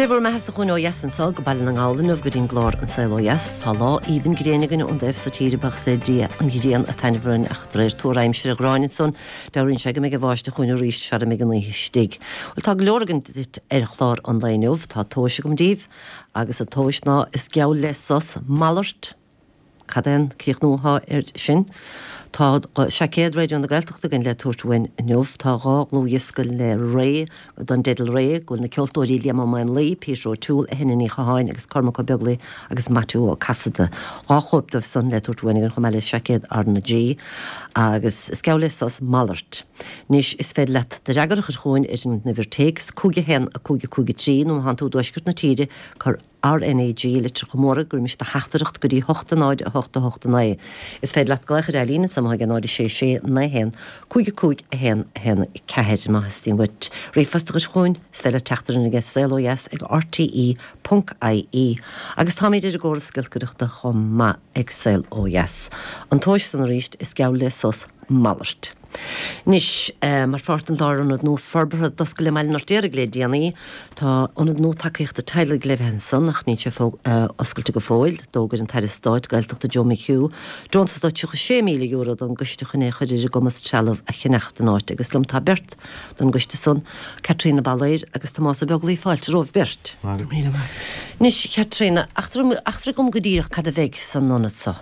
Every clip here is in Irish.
Dé bhur mbeathasa chugainn ó dheas anso go Baile na nGall inniu go dtí'n gclár An Saol Ó Dheas. Tá lá aoibhinn gréine againn ón dtaobh so tíre, buíochas le Dia an ghrian ag taitneamh orainn ach de réir tuar aimsire Ghráinne ansan, dealraíonn sé go mbeidh an bháisteach chugainn arís sara mbeidh an oíche istigh. Bhuel tá go leor againn duit ar chlár an lae inniu. Tá tomhais agam daoibh agus an tomhais ná is geall le sos malairt. Cad é an críochnú atá air sin? Tá seaicéad Raidió na Gaeltachta againn le tabhairt uainn inniu. Tá 2 dhlúthdhiosca le Ré, don dteideal Ré, go bhfuil na ceoltóirí Liam Ó Maonlaí, Peter O'Toole, Eithne Ní Chatháin agus Cormac Ó Beaglaoich agus Maitiú Ó Casaide. 2 chóip dóibh san le tabhairt uainn againn chomh maith le seaicéad R na G. Agus is geall le sos malairt. Anois is féidir leat do fhreagra a chur chugainn ar an uimhir téacs 5 1 5 5 3 nó má thánn tú i dtuaisceart na tíre, cuir RnaG i litreacha móra roimis do theachtaireacht go dtí 8 0 8 8 9. Is féidir leat glaoch ar líne anso ag 0 6 6 9 1 5 5 1 1 4. Má theastaíonn uait ríomhphost a chur chugainn, is féidir leat teacht orainn ag saolodheas ag rte ponc ie. Agus táimid ar an gcóras giolcaireachta chomh maith ag Saol Ó Dheas. An tomhais san arís, is geall le sos malairt. Anois, mar pháirt den lárionad nua forbartha a d'oscail i mBaile an Fheirtéaraigh le déanaí, tá ionad nua tacaíochta teaghlaigh le bheith ansan ach níl sé oscailte go fóill. D'fhógair an tAire Stáit Gaeltachta Joe McHugh deontas de €36,000 don gcoiste chun é a chur ar a gcumas trealamh a cheannach don áit agus liom tá beirt don gcoiste san, Caitríona Balor agus Tomás Ó Beaglaoich. Fáilte romhaibh beirt. Anois, Chaitríona, eachtraigh dhom go díreach cad a bheidh san ionad so.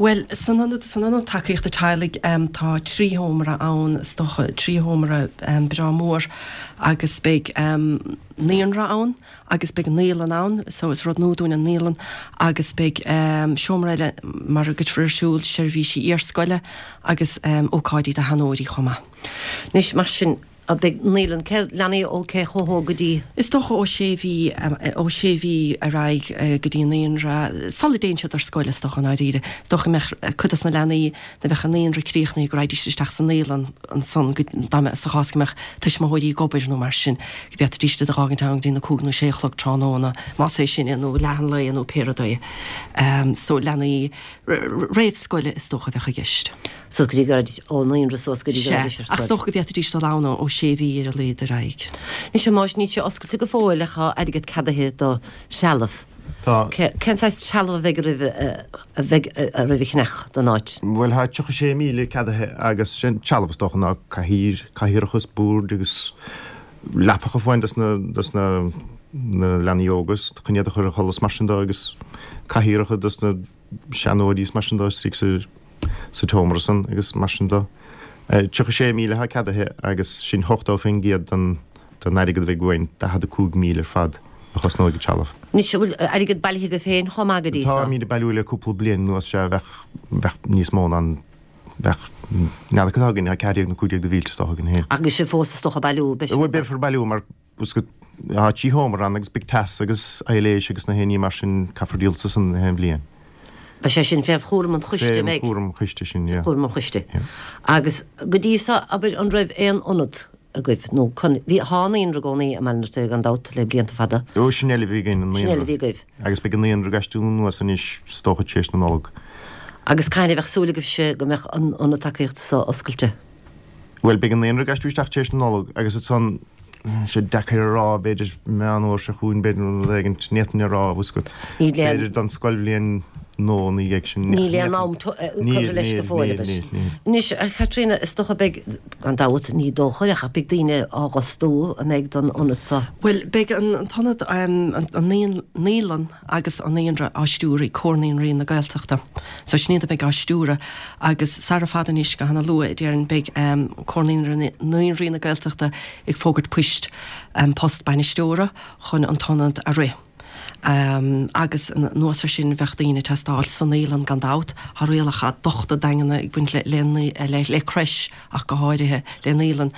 Bhuel, san ionad, san ionad tacaíochta teaghlaigh, tá 3 sheomra ann, is dócha, 3 sheomra breá mór agus beidh naíonra ann agus beidh naíolann ann, so is rud nua dúinn an naíolann, agus beidh seomra eile mar a gcuirfear ar siúl seirbhísí iarscoile agus ócáidí do sheanóirí chomh maith. Anois, mar sin, Beidh naíolann, cé, leanaí ó cé chomh hóg go dtí? Is dócha ó sé mhí, ó sé mhí ar aghaidh go dtí an naíonra, sula dtéann siad ar scoil is dócha i ndáiríre. Is dócha go mbeadh cuid dos na leanaí nuair a bheadh an naíonra críochnaithe go raghaidís isteach sa naíolann ansan go, dá mbeadh, sa chás go mbeadh tuismitheoirí ag obair nó mar sin, go bhféadfaidís iad a dh'fhágaint ann go dtí na cúig nó sé a chlog tráthnóna, más é sin é, nó leath an lae nó pé rud é. So leanaí réamhscoile is dócha a bheadh i gceist. Suas go dtí go raghaidís ón naíonra suas go dtí go raghaidís ar scoil. Ach is dócha go bhféadfaidís dul ann ó sé mhí ar a laghad ar aghaidh. Anois a Thomáis, níl sé oscailte go fóill ach tá airgead ceadaithe do threalamh. Tá. Cén saghas trealamh a bheidh oraibh a bheidh oraibh a cheannach don áit? Bhuel tá 36,000 ceadaithe agus sé an trealamh is dócha ná cathaoir, cathaoireacha is boird agus leapacha fáin dos na dos na na leanaí óga chun iad a chur a chodladh is mar sin de agus cathaoireacha dos na seanóirí is mar sin de istigh sa sa tseomra san agus mar sin de. 36,000 atá ceadaithe agus sin 80% den den airgead a bheidh uainn, 45,000 ar fad a chosnóidh an trealamh. Anois, an bhfuil airgead bailithe agaibh féin chomh maith go dtí so? Táimid ag bailiú le cúpla bliain anuas, sea, bheadh, bheadh níos mó ná an, bheadh, n'fheadar cad atá againn, tá 14 nó 15 de mhílte is dócha againn féin. Agus sibh fós is dócha ag bailiú, beidh sibh. Bhuel, beifear ag bailiú mar Tá 3 sheomra ann agus beidh teas agus aibhléis agus na haon ní mar sin, caithfear díol as san aon bhliain. Beidh sé sin fé chúram an choiste, an mbeidh? Fé chúram an choiste sin, yeah. Chúram an choiste. Yeah. Agus go dtí so, abair, an raibh aon ionad agaibh nó bhí, tá naíonra i gcónaí i mBaile an Fheirtéaraigh gan dabht le blianta fada. Ó, sin eile a bhí againn, an naíonra. Sin eile a bhí agaibh. Agus beidh an naíonra ag aistriú anuas anois, is dócha, tar éis na Nollag. Agus cathain a bheadh súil agaibhse go mbeadh an ionad tacaíochta so oscailte? Bhuel, beidh an naíonra ag aistriú isteach tar éis na Nollag agus ansan, tá sé deacair a rá, b'fhéidir Meán Fhómhair seo chugainn, b'fhéidir nó rud éigin, ní fhéadfainn a rá, bhfuil 's agat. B'fhéidir don scoilbhliain nua ina dhiaidh sin. Níl aon am curtha leis go fóill, abair. Níl, níl, níl. Anois, a Chaitríona, is dócha beidh, gan dabht, ní dócha, ach beidh daoine á bhfostú, an mbeidh, don ionad so? Bhuel, beidh an t-ionad, an naíolann, agus an naíonra á stiúradh ag Comhar Naíonraí na Gaeltachta. So sin iad a bheidh á stiúradh agus sara fada anois, go hana luath, déarfainn, beidh Comhar Naíonraí na Gaeltachta ag fógairt poist, post bainisteora chun an t-ionad a rith. Agus anuas ar sin bheadh daoine ag teastáil sa naíolann gan dabht. Tá rialacha dochta daingeana ag baint le le crèche. ach go háirithe le naíolann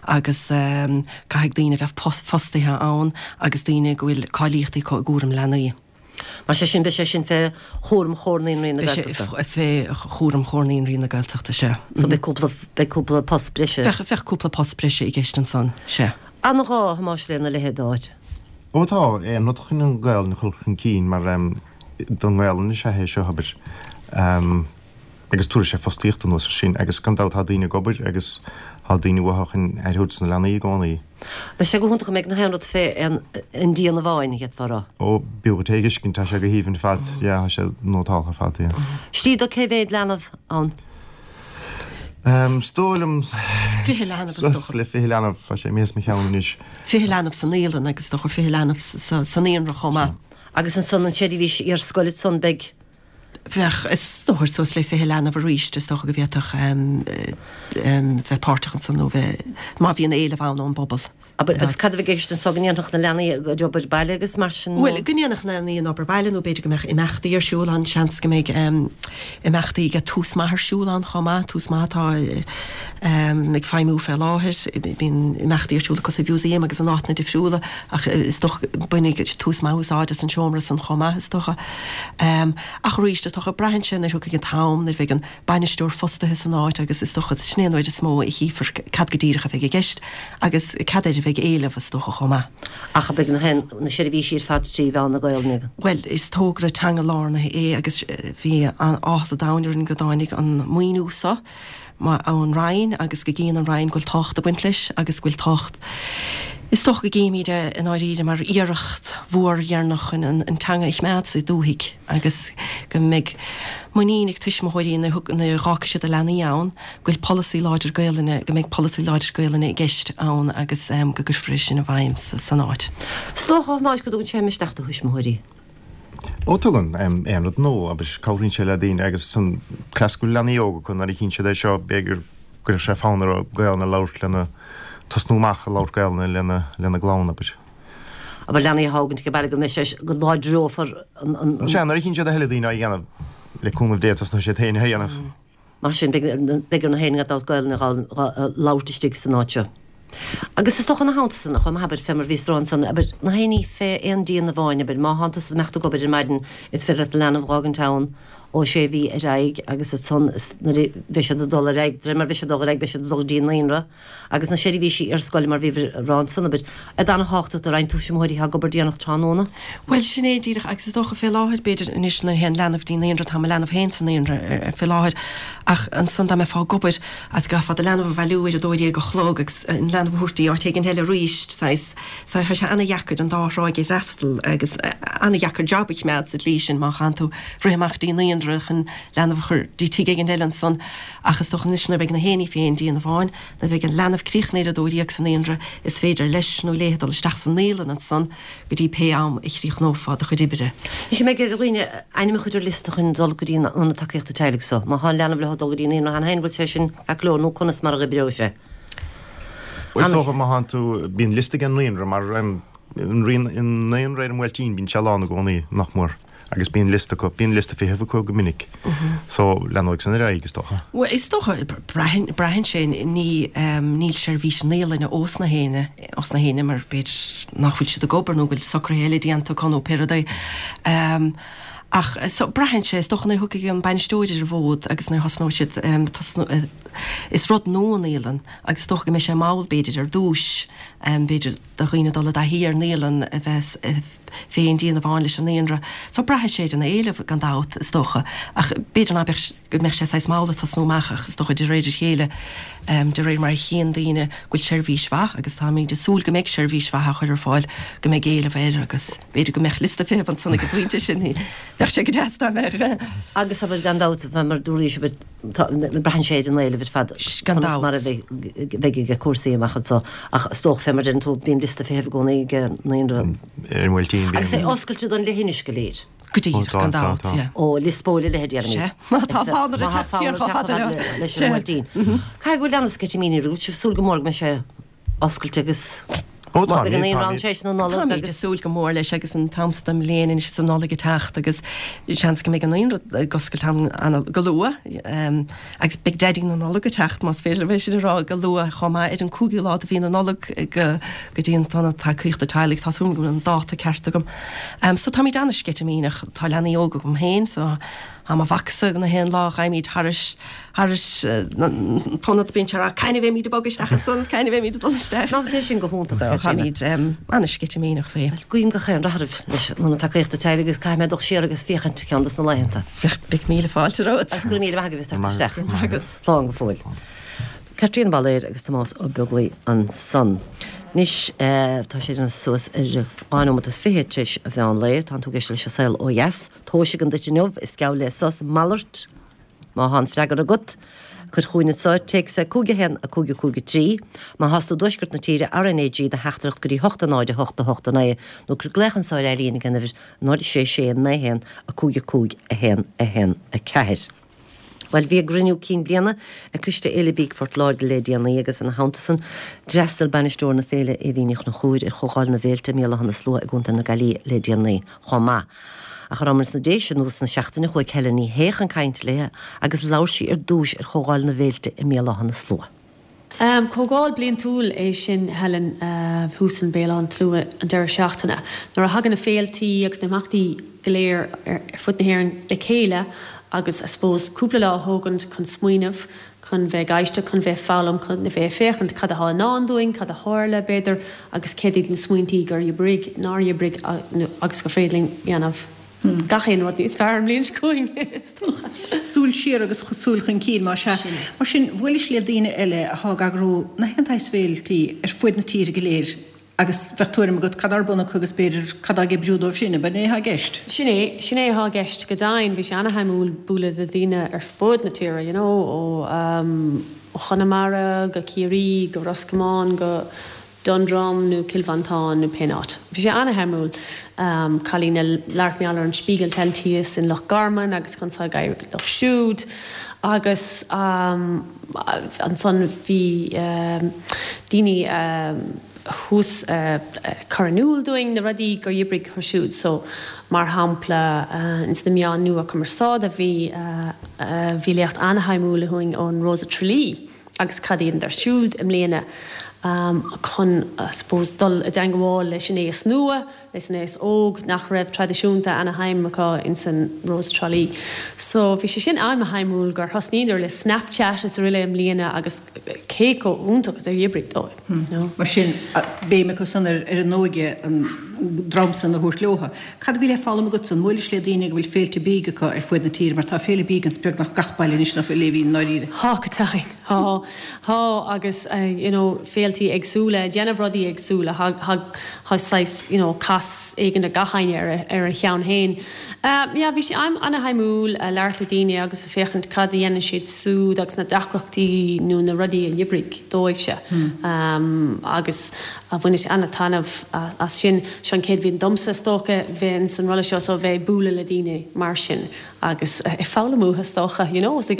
agus caithfidh daoine a bheith fostaithe ann agus daoine go bhfuil cáilíochtaí acu i gcúram leanaí. Mar sé sin, beidh sé sin fé chúram Chomhar Naíonraí na Gaeltachta. Beidh sé fé chúram Chomhar Naíonraí na Gaeltachta, sea. So beidh cúpla, beidh cúpla post breise. Bheadh, bheadh cúpla post breise i gceist ansan, sea. An-ghá, a Thomáis, lena leithéid d'áit. Ó tá, aon rud chun an Ghaelainn a chur chun cinn mar don nGaelainn is ea é seo, abair. Agus tabharfaidh sé fostaíocht anuas ar sin agus gan dabht tá daoine ag obair agus tá daoine uathu chun aire a thabhairt dos na leanaí i gcónaí. Beidh sé go hiontach an mbeidh na haon rud fé an díon amháin, d'fhéadfá a rá. Ó, b'fhiú duit é a fheiscint, tá sé go haoibhinn ar fad, yeah, tá sé nótáltha ar fad, yeah. Istigh do cé mhéad leanbh ann? Is dóigh liom 20 leanbh is dócha. Suas le 20 leanbh, tá sé imithe as mo cheann anois. 20 leanbh sa naíolann agus is dócha 20 leanbh sa naíonra chomh maith. Agus ansan an tseirbhís iarscoile ansan beidh. Bheadh, is dócha, suas le 20 leanbh arís, is dócha go bhféadfadh bheith páirteach ansan nó bheith, má bhíonn éileamh ann ón bpobal. Abair, agus cad a bheidh i gceist anso, go ndéanfadh na leanaí a gcuid obair baile agus mar sin nó? Bhuel, go ndéanfadh na leanaí an obair baile nó b'fhéidir go mbeadh imeachtaí ar siúl ann, seans go mbeidh imeachtaí ag Tús Maith ar siúl ann chomh maith, Tús Maith atá ag feidhmiú fé láthair, bíonn imeachtaí ar siúl acu sa Mhúsaem agus in áiteanna difriúla ach is dócha go mbainfidh Tús Maith úsáid as an seomra san chomh maith is dócha. Ach arís, is dócha, braitheann sé nuair a thiocfaidh an t-am, nuair a bheidh an bainisteoir fostaithe san áit agus is dócha sin é an uair is mó a chífear cad go díreach a bheidh i gceist agus cad air a bheidh éileamh is dócha chomh maith. Ach beidh na na seirbhísí ar fad trí mheán na Gaolainne. Bhuel, is togra teanga-lárnaithe é agus bhí áthas an domhain orainn go dtáinig an maoiniú so ón Roinn agus go gcíonn an Roinn go bhfuil tábhacht ag baint leis agus go bhfuil tábhacht Is dócha go gcímid é i ndáiríre mar iarracht mhór dheireanach chun an teanga a choimeád sa dúthaigh agus go mbeidh muinín ag tuismitheoirí nuair a dh'fhágfaidh siad a leanaí ann go bhfuil polasaí láidir Gaelainne, go mbeidh polasaí láidir Gaelainne i gceist ann agus go gcuirfear é sin i bhfeidhm san áit. Is dócha, a Thomáis, go dtugann sé misneach do thuismitheoirí. Ó tugann, aon rud nua, abair, cabhraíonn sé le daoine agus san cleas go bhfuil leanaí óga acu nuair a chíonn siad é seo b'fhéidir go gcuirfeadh sé fonn orthu Gaelainn a labhairt lena, tosnú amach ag labhairt Gaelainne lena, lena gclann, abair. Abair leanaí a thógaint ag baile go mbeidh sé, go láidreofar an, an. Sea, nuair a chíonn siad a thuilleadh daoine á dhéanamh, le cúnamh Dé tosnóidh siad féin á dhéanamh. Mar sin, beidh ar na héinne gan dabht Gaelainn a labhairt istigh san áit seo. Agus is dócha ina theannta san, chomh maith, abair, fé mar bhíos ag rá ansan, abair, na héinní fé aon díon amháin, abair, má thánn tusa ag imeacht ag obair ar maidin, is féidir leat do leanbh dh'fhágaint ann ó sé mhí ar aghaidh agus ansan nuair a bheidh siad ag dul ar aghaidh, de réir mar a bheidh siad ag dul ar aghaidh, beidh siad ag dul go dtí an naíonra. Agus na seirbhísí iarscoile, mar bhíobhair ag rá ansan, abair, iad ana-thábhachtach do roinnt tuismitheoirí atá ag obair déanach tráthnóna. Bhuel, sin é díreach, agus is dócha fé láthair, b'fhéidir, anois nuair a théann leanbh go dtí an naíonra, tá mo leanbh féin sa naíonra fé láthair, ach ansan dá mbeifeá ag obair agus go gcaithfeá do leanbh a bhailiú ar a dó dhéag a chlog agus an leanbh a thabhairt dtí áit éigin eile arís, saghas, so tá sé ana-dheacair an dá thráigh a fhreastal agus ana-dheacair job a choimeád sa tslí sin má chaitheann tú rith amach dtí an naíonra chun leanbh a chur dtí tigh éigin eile ansan. Ach is dócha anois nuair a bheidh na héinní fé aon díon amháin, nuair a bheidh an leanbh críochnaithe ar a 12 sa naíonra, is féidir leis nó léi dul isteach sa naíolann ansan go dtí pé am a chríochnófá do chuid oibre. Anois an mbeidh ar dhaoine ainm a chur ar liosta chun dul go dtí an ionad tacaíochta teaghlaigh so? Má tá an leanbh leo ag dul go dtí an naíonra cheana féin, bhfuil sé sin ceart go leor nó conas mar a oibreoidh sé? Bhuel is dócha má thánn tú, bíonn liosta ag an naíonra mar an naíonra ar an mBuailtín bíonn sé lán i gcónaí, nach mór. Agus bíonn liosta acu, bíonn liosta feithimh acu go minic. So, leanóidh san ar aghaidh, is dócha. Bhuel, is dócha, braitheann, braitheann sé, ní, níl seirbhís naíolainne ós na héinne, ós na héinne mar b'fhéidir nach bhfuil siad ag obair nó go bhfuil socruithe eile déanta acu nó pé rud é. Ach, so, braitheann sé, is dócha nuair a thiocfaidh an bainisteoir ar an bhfód agus nuair a thosnóidh siad, tosnú, is rud nua an naíolann agus is dócha go mbeidh sé mall b'fhéidir ar dtúis, b'fhéidir do dhaoine dul i dtaithí ar naíolann a bheith fé aon díon amháin leis an naíonra. So braithfidh sé ar an éileamh gan dabht, is dócha. Ach b'fhéidir ná beadh, go mbeadh sé saghas mall ag tosnú amach ach is dócha de réir a chéile, de réir mar a chíonn daoine go bhfuil seirbhís mhaith agus táimid ag súil go mbeidh seirbhís mhaith á chur ar fáil, go mbeidh éileamh air agus b'fhéidir go mbeadh liosta feithimh ansan ag an bpointe sin. Bheadh sé go deas dá mbeadh. Agus abair gan dabht, mar dúraís, abair, Braitheann sé ar an éileamh ar fad Gan conas mar a dabht. bheidh ag cúrsaí amach anseo ach is dócha fé mar deireann tú bíonn liosta feithimh i gcónaí ag an naíonra. Ar an mBuailtín bíonn. Agus é oscailte don leithinis go léir. Go díreach, gan dabht, yeah. Ó Lios Póil a leithéid déarfaimid. Sea, má tá fonn orthu teacht siar chomh fada leo. Leis an mBuailtín. Caithfidh go bhfuil an-sceitimíní oraibh, bhfuil sibh ag súil go mór go mbeidh sé oscailte agus Ó tá, beidh an naíonra ann tar éis na Nollag Táimid ag súil go mór leis agus an t-am seo den mbliain anois is an Nollaig ag teacht agus seans go mbeidh an naíonra ag oscailt an go luath agus beidh Daidí na Nollag ag teacht más féidir liom é sin a rá go luath chomh maith ar an 5ú lá de mhí na Nollag go go dtí an tIonad Tacaíochta Teaghlaigh tá súil agam go bhfuil an dáta ceart agam. So táimid an-sceitimíneach tá leanaí óga agam féin so Tá mo mhacsa na haon lá a ghabhaimid thairis thairis an t-ionad bíonn sé ag rá cathain a bheimid ag bogadh isteach ansan is cathain a bheimid ag dul isteach. Ná bhfuil sé sin go hiontach So táimid an-sceitimíneach faoi. Bhuel, guím gach aon rath oraibh leis an Ionad Tacaíochta Teaghlaigh agus caithfidh mé dul siar agus féachaint ceann dos na laethanta. Beidh míle fáilte romhat. Agus go raibh míle maith agaibh as teacht isteach. Go raibh maith agat. Slán go fóill. Caitríona Bailéir agus Tomás Ó Beaglaoi ansan. Anois tá sé ag déanamh suas ar 2 nóimeat is 20 tar éis an mheán lae. Tánn tú ag éisteacht leis An Saol Ó Dheas. Tomhais againn duit inniu, is geall le sos malairt. Má thá an freagra agat, cuir chugainn anso téacs ar 5 1 5 5 3. Má thás tú i dtuaisceart na tíre, RnaG do theachtaireacht go dtí 8 0 8 8 9 nó cuir glaoch anso ar Eileen ag an uimhir 0 6 6 9 1 5 5 1 1 4. Bhuel, bhí a gcruinniú cinn bliana ag Coiste Fhéile Bídh Phort Láirge le déanaí agus ina theannta san, d'fhreastail bainisteoir na féile Aoibhín Ní Chonchúir ar Chomhdháil na bhFéilte i mBéal Átha na Slua i gContae na Gaillimhe le déanaí chomh maith. Ach ar sna Déise anuas na seachtaine chuaigh Helen Ní Shé chun cainte léi agus labhair sí ar dtúis ar Chomhdháil na bhFéilte i mBéal Átha na Slua. Comhdháil bliantúil é sin, Helen, thuas in Béal Átha an tSlua an deireadh seachtaine, nuair a thagann na féiltí agus na himeachtaí go léir ar fud na hÉireann le chéile agus, I suppose, cúpla lá a thógaint chun smaoineamh, chun bheith ag éisteacht, chun bheith ag foghlaim, chun a bheith ag féachaint cad atá i ndán dúinn, cad a tharla, b'fhéidir, agus céard iad na smaointí gur oibrigh, nár oibrigh agus gur féidir linn dhéanamh. Gach aon rud níos fearr an bhliain seo chugainn, is dócha. Súil siar agus súil chun cinn, más ea. Mar sin, bhuailis le daoine eile athá ag eagrú na haon tsaghas féiltí ar fuaid na tíre go léir agus bheadh tuairim agat cad ar bun acu agus b'fhéidir cad á ag oibriú dóibh sin, ab in é athá i gceist? Sin é, sin é athá i gceist. Go deimhin, bhí sé ana-shuimiúil bualadh le daoine ar fud na tíre, you know, ó Chonamara go Ciarraí go Ros Comáin go Dundrum nó Cill Mhantáin nó pé áit. Bhí sé ana-shuimiúil. Cailín a labhairt mar gheall ar an Spiegeltent thíos in Loch Garman agus conas atá ag éirí leo siúd agus ansan bhí daoine thuas ag cur in iúl dúinn na rudaí gur oibrigh acu siúd. So mar shampla ins na meáin nua cumarsáide bhí bhí léacht ana-shuimiúil againn ón Rós of Tralee. agus cad a dheineadar siúd i mbliana chun, I suppose, dul i dteangmháil leis an aos nua, leis an aos óg nach raibh traidisiúnta ana-shuim acu ins an Rose Tralee. So bhí sé sin ana-shuimiúil gur thosnaíodar le Snapchat is aroile i mbliana agus cé chomh iontach is a d'oibrigh dóibh, you know. Mar sin, béim acu san ar an óige, an dream san a thabhairt leotha. Cad a bhí le foghlaim agatsa? An mbuailis le daoine go bhfuil féilte bídh acu ar fuaid na tíre mar tá féile bídh ins beagnach gach baile anois nach bhfuil, Aoibhín, i ndáiríre? Tá, go deimhin. Tá, tá agus you know féiltí éagsúla, ag déanamh rudaí éagsúla, thá, thá, thá saghas you know cás éigin ag gach éinne ar a, ar a cheann féin. Yeah, bhí sé ana-shuimiúil labhairt le daoine agus féachaint cad a dhéanann siad siúd agus na deacrachtaí nó na rudaí a d'oibrigh dóibhse agus bhaineas ana-taitneamh as sin. Seo an chéad bhliain domsa is dócha bheith ins an rolla seo so bheith ag bualadh le daoine mar sin. agus ag foghlaim uathu is dócha, you know, is ag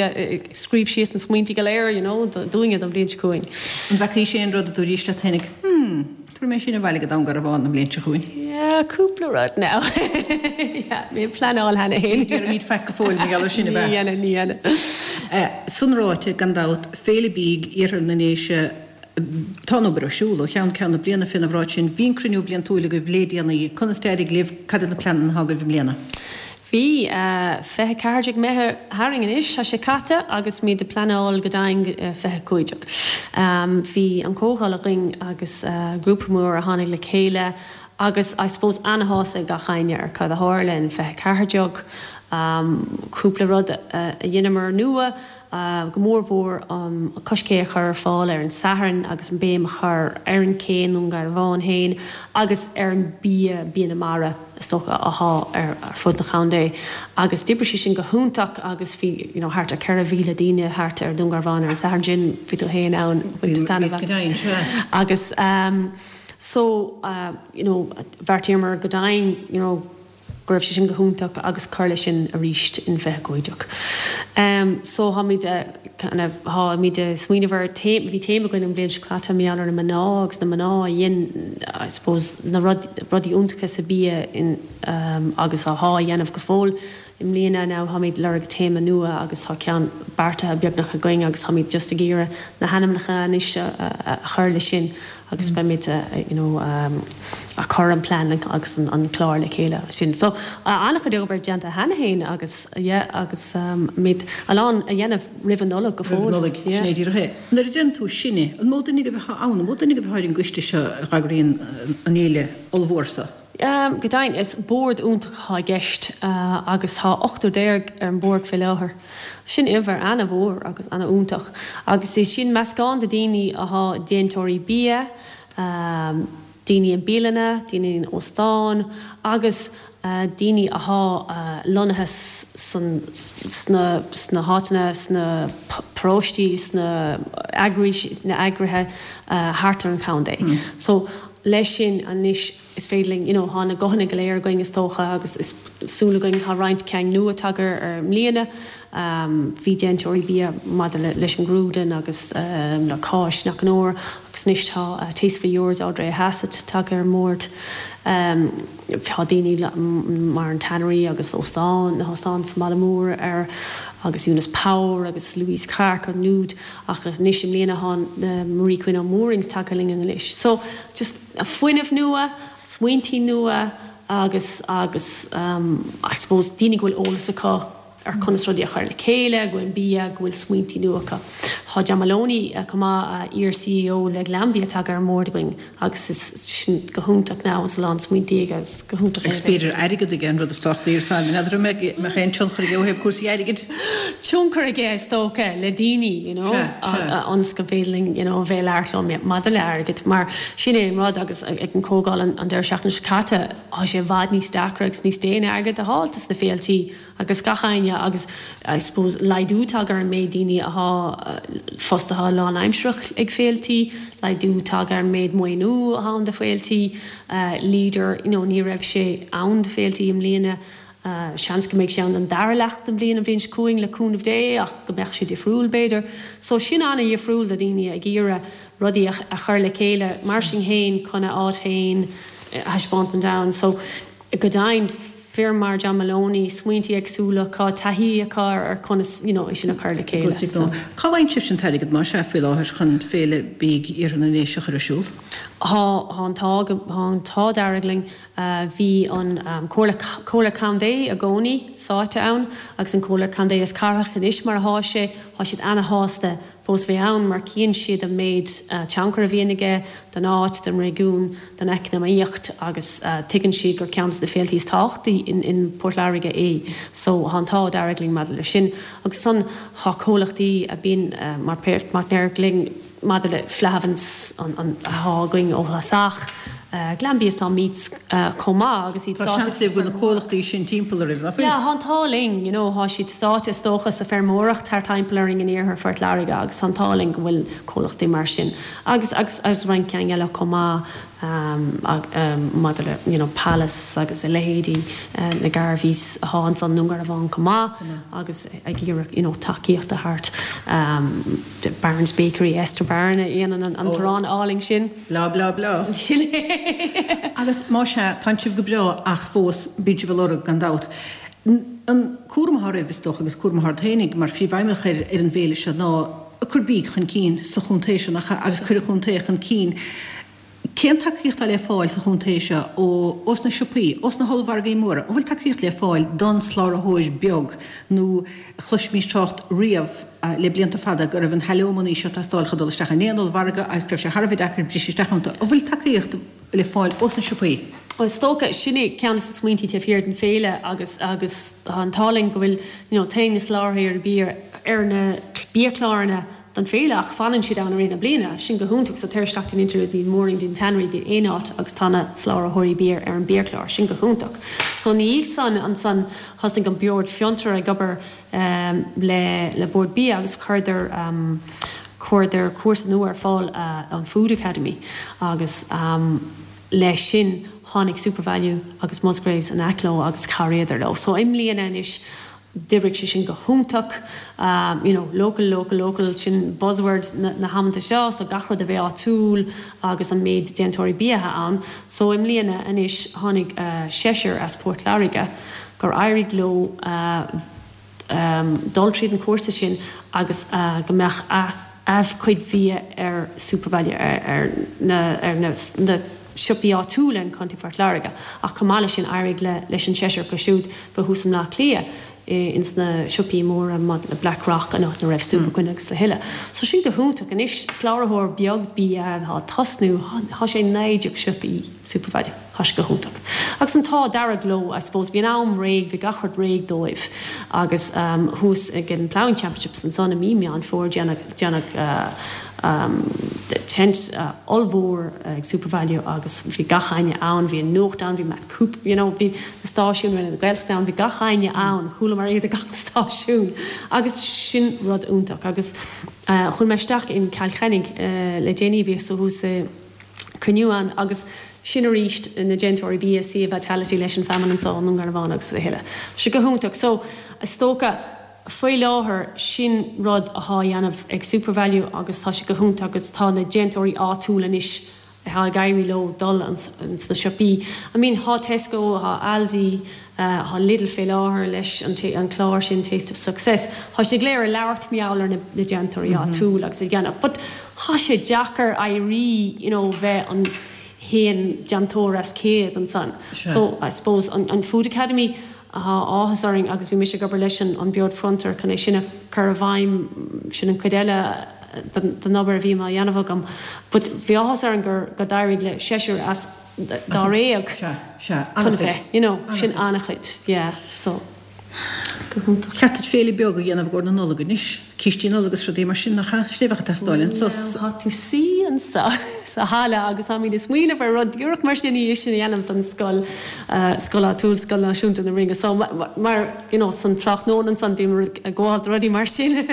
scríobh síos na smaointí go léir, you know, dúinne don bhliain seo chugainn. An bhfeacaís aon rud a dúraís leat féinig, hmm, tabharfaidh mé sin abhaile go Dún Garbhán an bhliain seo chugainn? Yeah, cúpla rud now. Yeah, mé ag pleanáil cheana féin. Ní déarfaimid faic go fóill mar gheall air sin, ab ea? Ní dhéanfaidh, ní dhéanfaidh. San ráite, gan dabht, Féile Bídh, Iarthar na nDéise, Tá an obair ar siúl ó cheann ceann na bliana fén bhráid sin. Bhí an cruinniú bliantúil agaibh lé déanaí. Conas d'éirigh libh? Cad iad na pleananna atá agaibh i mbliana? Bhí. 24 Meitheamh tharainn anois, tá sé caite agus muid ag pleanáil go deimhin 25. Bhí an comhdháil againn agus grúpa mór a tháinig le chéile agus I suppose ana-shásta ag gach éinne ar cad a tharla in 24. Cúpla rud a dheineamar nua. go mór mhór an coiscé a chur ar fáil ar an Satharn agus an béim a chur ar an ché i nDún Garbhán féin agus ar an bia, bia na mara is dócha athá ar fud na chontae agus d'oibrigh sé sin go hiontach agus bhí you know thart ar 4,000 daoine thart ar Dún Garbhán ar an Satharn sin, bhí tú féin ann, bhain tú taitneamh as. Agus so you know bheartaíomar go deimhin you know go raibh sé sin go hiontach agus cur leis sin arís in 25. So tháimid kind of tháimid ag smaoineamh ar téama, bhí téama againn an bhliain seo caite mar gheall ar na mná agus na mná a dhein I suppose na rudaí iontacha sa bia in agus athá a dhéanamh go fóill. I mbliana now tháimid lorg téama nua agus tá ceann beartaithe beagnach againn agus táimid just ag iarraidh na hainmneacha anois a chur leis sin agus beimid you know a cur an plean agus an clár le chéile sin. So an-chuid obair déanta cheana féin agus yeah agus muid a lán a dhéanamh roimh an Nollaig go fóill. Roimh an Nollaig, sin é díreach é. Nuair a deireann tú sinne, an mó duine agaibh atá ann, an mó duine agaibh atá ar an gcoiste seo a dh'eagraíonn an fhéile ollmhór seo? Go deimhin, is bord iontach atá i gceist agus tá ochtar déag ar an bord fé láthair. Sin uimhir ana-mhór agus ana-iontach. Agus is sin meascán de daoine athá déantóirí bia, daoine i mbialanna, daoine in óstáin agus daoine athá lonnaithe sna sna háiteanna, sna paróistí, sna eagrais, na eagraithe thart ar an chontae. So leis sin anois is féidir linn, you know, thá na guthanna go léir againn is dócha agus is súil againn, thá roinnt ceann nua tagtha ar i mbliana. Bhí déantóirí bia maidir le leis an gcrúdlann agus le cáis nach onóir agus anois tá Tastefully Yours Ardrea Hassett tagtha ar an mbord. Tá daoine mar an Tannery agus óstán, na hóstáin sa mbaile mór ar agus Eunice Power agus Louise Clarke an Nude ach anois i mbliana thá Marie Quinn ó Moorings tagtha linn anois. So just fuinneamh nua, smaointí nua agus agus I suppose daoine go bhfuil eolas acu ar conas rudaí a chur le chéile, go bhfuil bia, go bhfuil smaointí nua acu. Tá John Moloney chomh maith, iar-CEO le Glanbia tagtha ar an mbord againn agus is sin go hiontach now agus a lán smaointí aige agus go hiontach é a Agus b'fhéidir airgead aige an rud is tábhachtaí ar fad. N'fheadar an mbeadh aon tionchar aige ó thaobh cúrsaí airgid? Tionchar aige is dócha le daoine you know ionas go féidir linn you know a bheith ag labhairt leo maidir le airgead mar sin é an rud agus ag an comhdháil an deireadh seachtaine seo caite tá sé i bhfad níos deacra agus níos déine airgead a fháil dos na féiltí agus gach éinne agus I suppose laghdú tagtha ar an méid daoine athá fostaithe lánaimsearach ag féiltí, laghdú tagtha ar an méid maoiniú athá ann do féiltí, Leader you know ní raibh sé ann do féiltí i mbliana, seans go mbeidh sé ann don dara leath den bhliain an bhliain seo chugainn le cúnamh Dé ach go mbeadh sé difriúil b'fhéidir. So sin ana-dhifriúil do dhaoine ag iarraidh rudaí a chur le chéile mar sin féin chun a áit féin a thaispeáint don domhan. So Go deimhin, fir mar John Moloney, smaointí éagsúla acu, taithí acu ar conas you know é sin a chur le chéile. So. Cá bhfaigheann sibhse an t-airgead, más ea, faoi láthair chun Féile Bídh Iarthar na nDéise a chur ar siúl? Thá, thá an t-ádh, thá an t-ádh dearg linn. Bhí an Comhairle, Comhairle Contae i gcónaí sáite ann agus an Comhairle Contae is Cathrach anois mar athá sé, thá siad ana-shásta fós bheith ann mar cíonn siad an méid tionchar a bhíonn aige don áit, don réigiún, don eacnamaíocht agus tuigeann siad gur ceann de na féiltí is tábhachtaí in Port Láirge é. So thá an t-ádh dearg linn maidir leis sin. Agus ansan thá comhlachtaí a bíonn mar páirtnéir linn maidir le Flahavan's athá againn ó thosach, Glanbia is tá Meats chomh maith agus iad sáite. Tá seans libh go bhfuil na comhlachtaí sin timpeall oraibh, nach bhfuil? Yeah, tá an t-ádh linn, you know, thá siad sáite is dócha sa feirmeoireacht thart timpeall orainn in iarthar Phort Láirge agus tá an t-ádh linn go bhfuil comhlachtaí mar sin agus agus agus roinnt ceann eile chomh maith maidir le you know Pallas agus a leithéidí na Garveys athá ansan i nDún Garbhán chomh maith agus ag iarraidh you know tacaíocht a thabhairt Barron's Bakery, Esther Barron a dhéanann an t-arán álainn sin. Blah blah blah. Sin é. Agus más ea, tánn sibh go breá ach fós bíonn sibh ag lorg, gan dabht. An cúram atá oraibh, is dócha, agus cúram atá ort féinig mar phríomhfheidhmeannach ar ar an bhféile seo ná cur bídh chun cinn sa chontae seo, nach ea, agus cur an chontae chun cinn. Cén tacaíocht atá le fáil sa chontae seo ó ós na siopaí, ós na hollmhargaí móra? An bhfuil tacaíocht le fáil don slabhraitheoir beag nó chloisimís trácht riamh le blianta fada go raibh an hallmhairí seo ag teastáil chun dul isteach in aon ollmhargadh agus go raibh sé thar a bheith deacair briseadh isteach iontu. An bhfuil tacaíocht le fáil ós na siopaí? Bhuel, is dócha, sin é ceann de na smaointí taobh thiar den féile agus agus tá an t-ádh linn go bhfuil you know téann na soláthraithe bia ar na biachláranna don féile ach fanann siad ann i rith na bliana. Sin go hiontach. So tar isteach dtí'n Interlude, dtí'n Moorings, dtí'n Tannery, dtí aon áit agus tá na soláthróirí bia ar an biachlár. Sin go hiontach. So ina dhiaidh san ansan thosnaigh an Bord Fiontar ag obair le le Bord Bia agus chuireadar chuireadar cúrsa nua ar fáil an Food Academy agus leis sin tháinig SuperValu agus Musgraves in aice leo agus chabhraíodar leo. So i mbliana anois D'oibrigh sé sin go hiontach. You know, local, local, local, sin buzzword na hamanta seo, so gach rud a bheith áitiúil agus an méid déantóirí bia atá ann. So i mbliana anois tháinig seisear as Port Láirge gur éirigh leo dul tríd an chúrsa sin agus go mbeadh a a gcuid bhia ar SuperValu ar na ar na siopaí áitiúla in Contae Phort Láirge ach chomh maith leis sin éirigh le leis an seisear acu siúd bheith thuas i mBleá Cliath ins na siopaí móra maidir le Blackrock an áit ina raibh Superquinn agus a thuilleadh. So sin go hiontach. Anois slabhraitheoir beag bia atá ag tosnú, thá sé 19 siopaí SuperValu. Thá sé go hiontach. Agus an t-ádh dearg leo, I suppose, bhí an am réidh, bhí gach rud réidh dóibh agus thuas ag an Ploughing Championships ansan i mí Meán Fómhair déanadh, déanadh tent ollmhór ag Supervalu agus bhí gach éinne ann, bhí an nuacht ann, bhí Matt Cooper, you know, bhí na stáisiúin, Raidió na Gaeltachta ann, bhí gach éinne ann, chualamar iad ag gach stáisiún agus sin rud iontach agus chuaigh mé isteach in Cill Chainnigh le déanaí, bhíos thuas i cruinniú ann agus sin arís na déantóirí bia, Sia Vitality leis an feamainn anso i nDún Garbhán agus a thuilleadh. Tá sé go hiontach. So, is dócha, faoi láthair sin rud athá á dhéanamh ag Supervalu agus tá sé go hiontach agus tá na déantóirí áitiúil anois athá ag éirí leo dul ins na siopaí. I mean, thá Tesco, thá Aldi, Thá Lidl fé láthair leis an clár sin Taste of Success. Thá siad go léir ag labhairt mar gheall ar na déantóirí áitiúil agus ag déanamh but thá sé deacair éirí you know bheith an haon déantóir as 100 ansan. So I suppose an Food Academy thá áthas orainn agus bhí mise ag obair leis an Bord Fiontar chun é sin a chur i bhfeidhm sin an chuid eile den obair a bhí á dhéanamh agam but bhí áthas orainn gur go d'éirigh le seisear as dáréag chun bheith, you know, sin an-chuid, yeah, so, go hiontach. Cheart duit féile beag a dhéanamh i gcomhair na Nollag anois, cístí Nollag is rudaí mar sin, nach ea? Sin é a bheadh ag teastáil anso. Well, tá tú suí anso sa halla agus táimid ag smaoineamh ar rud díreach mar sin í sin a dhéanamh don scoil, scoil áitiúil, Scoil Náisiúnta na Rinne. So, mar, you know, san tráthnóna ansan bíonn muid ag gabháil do rudaí mar sin.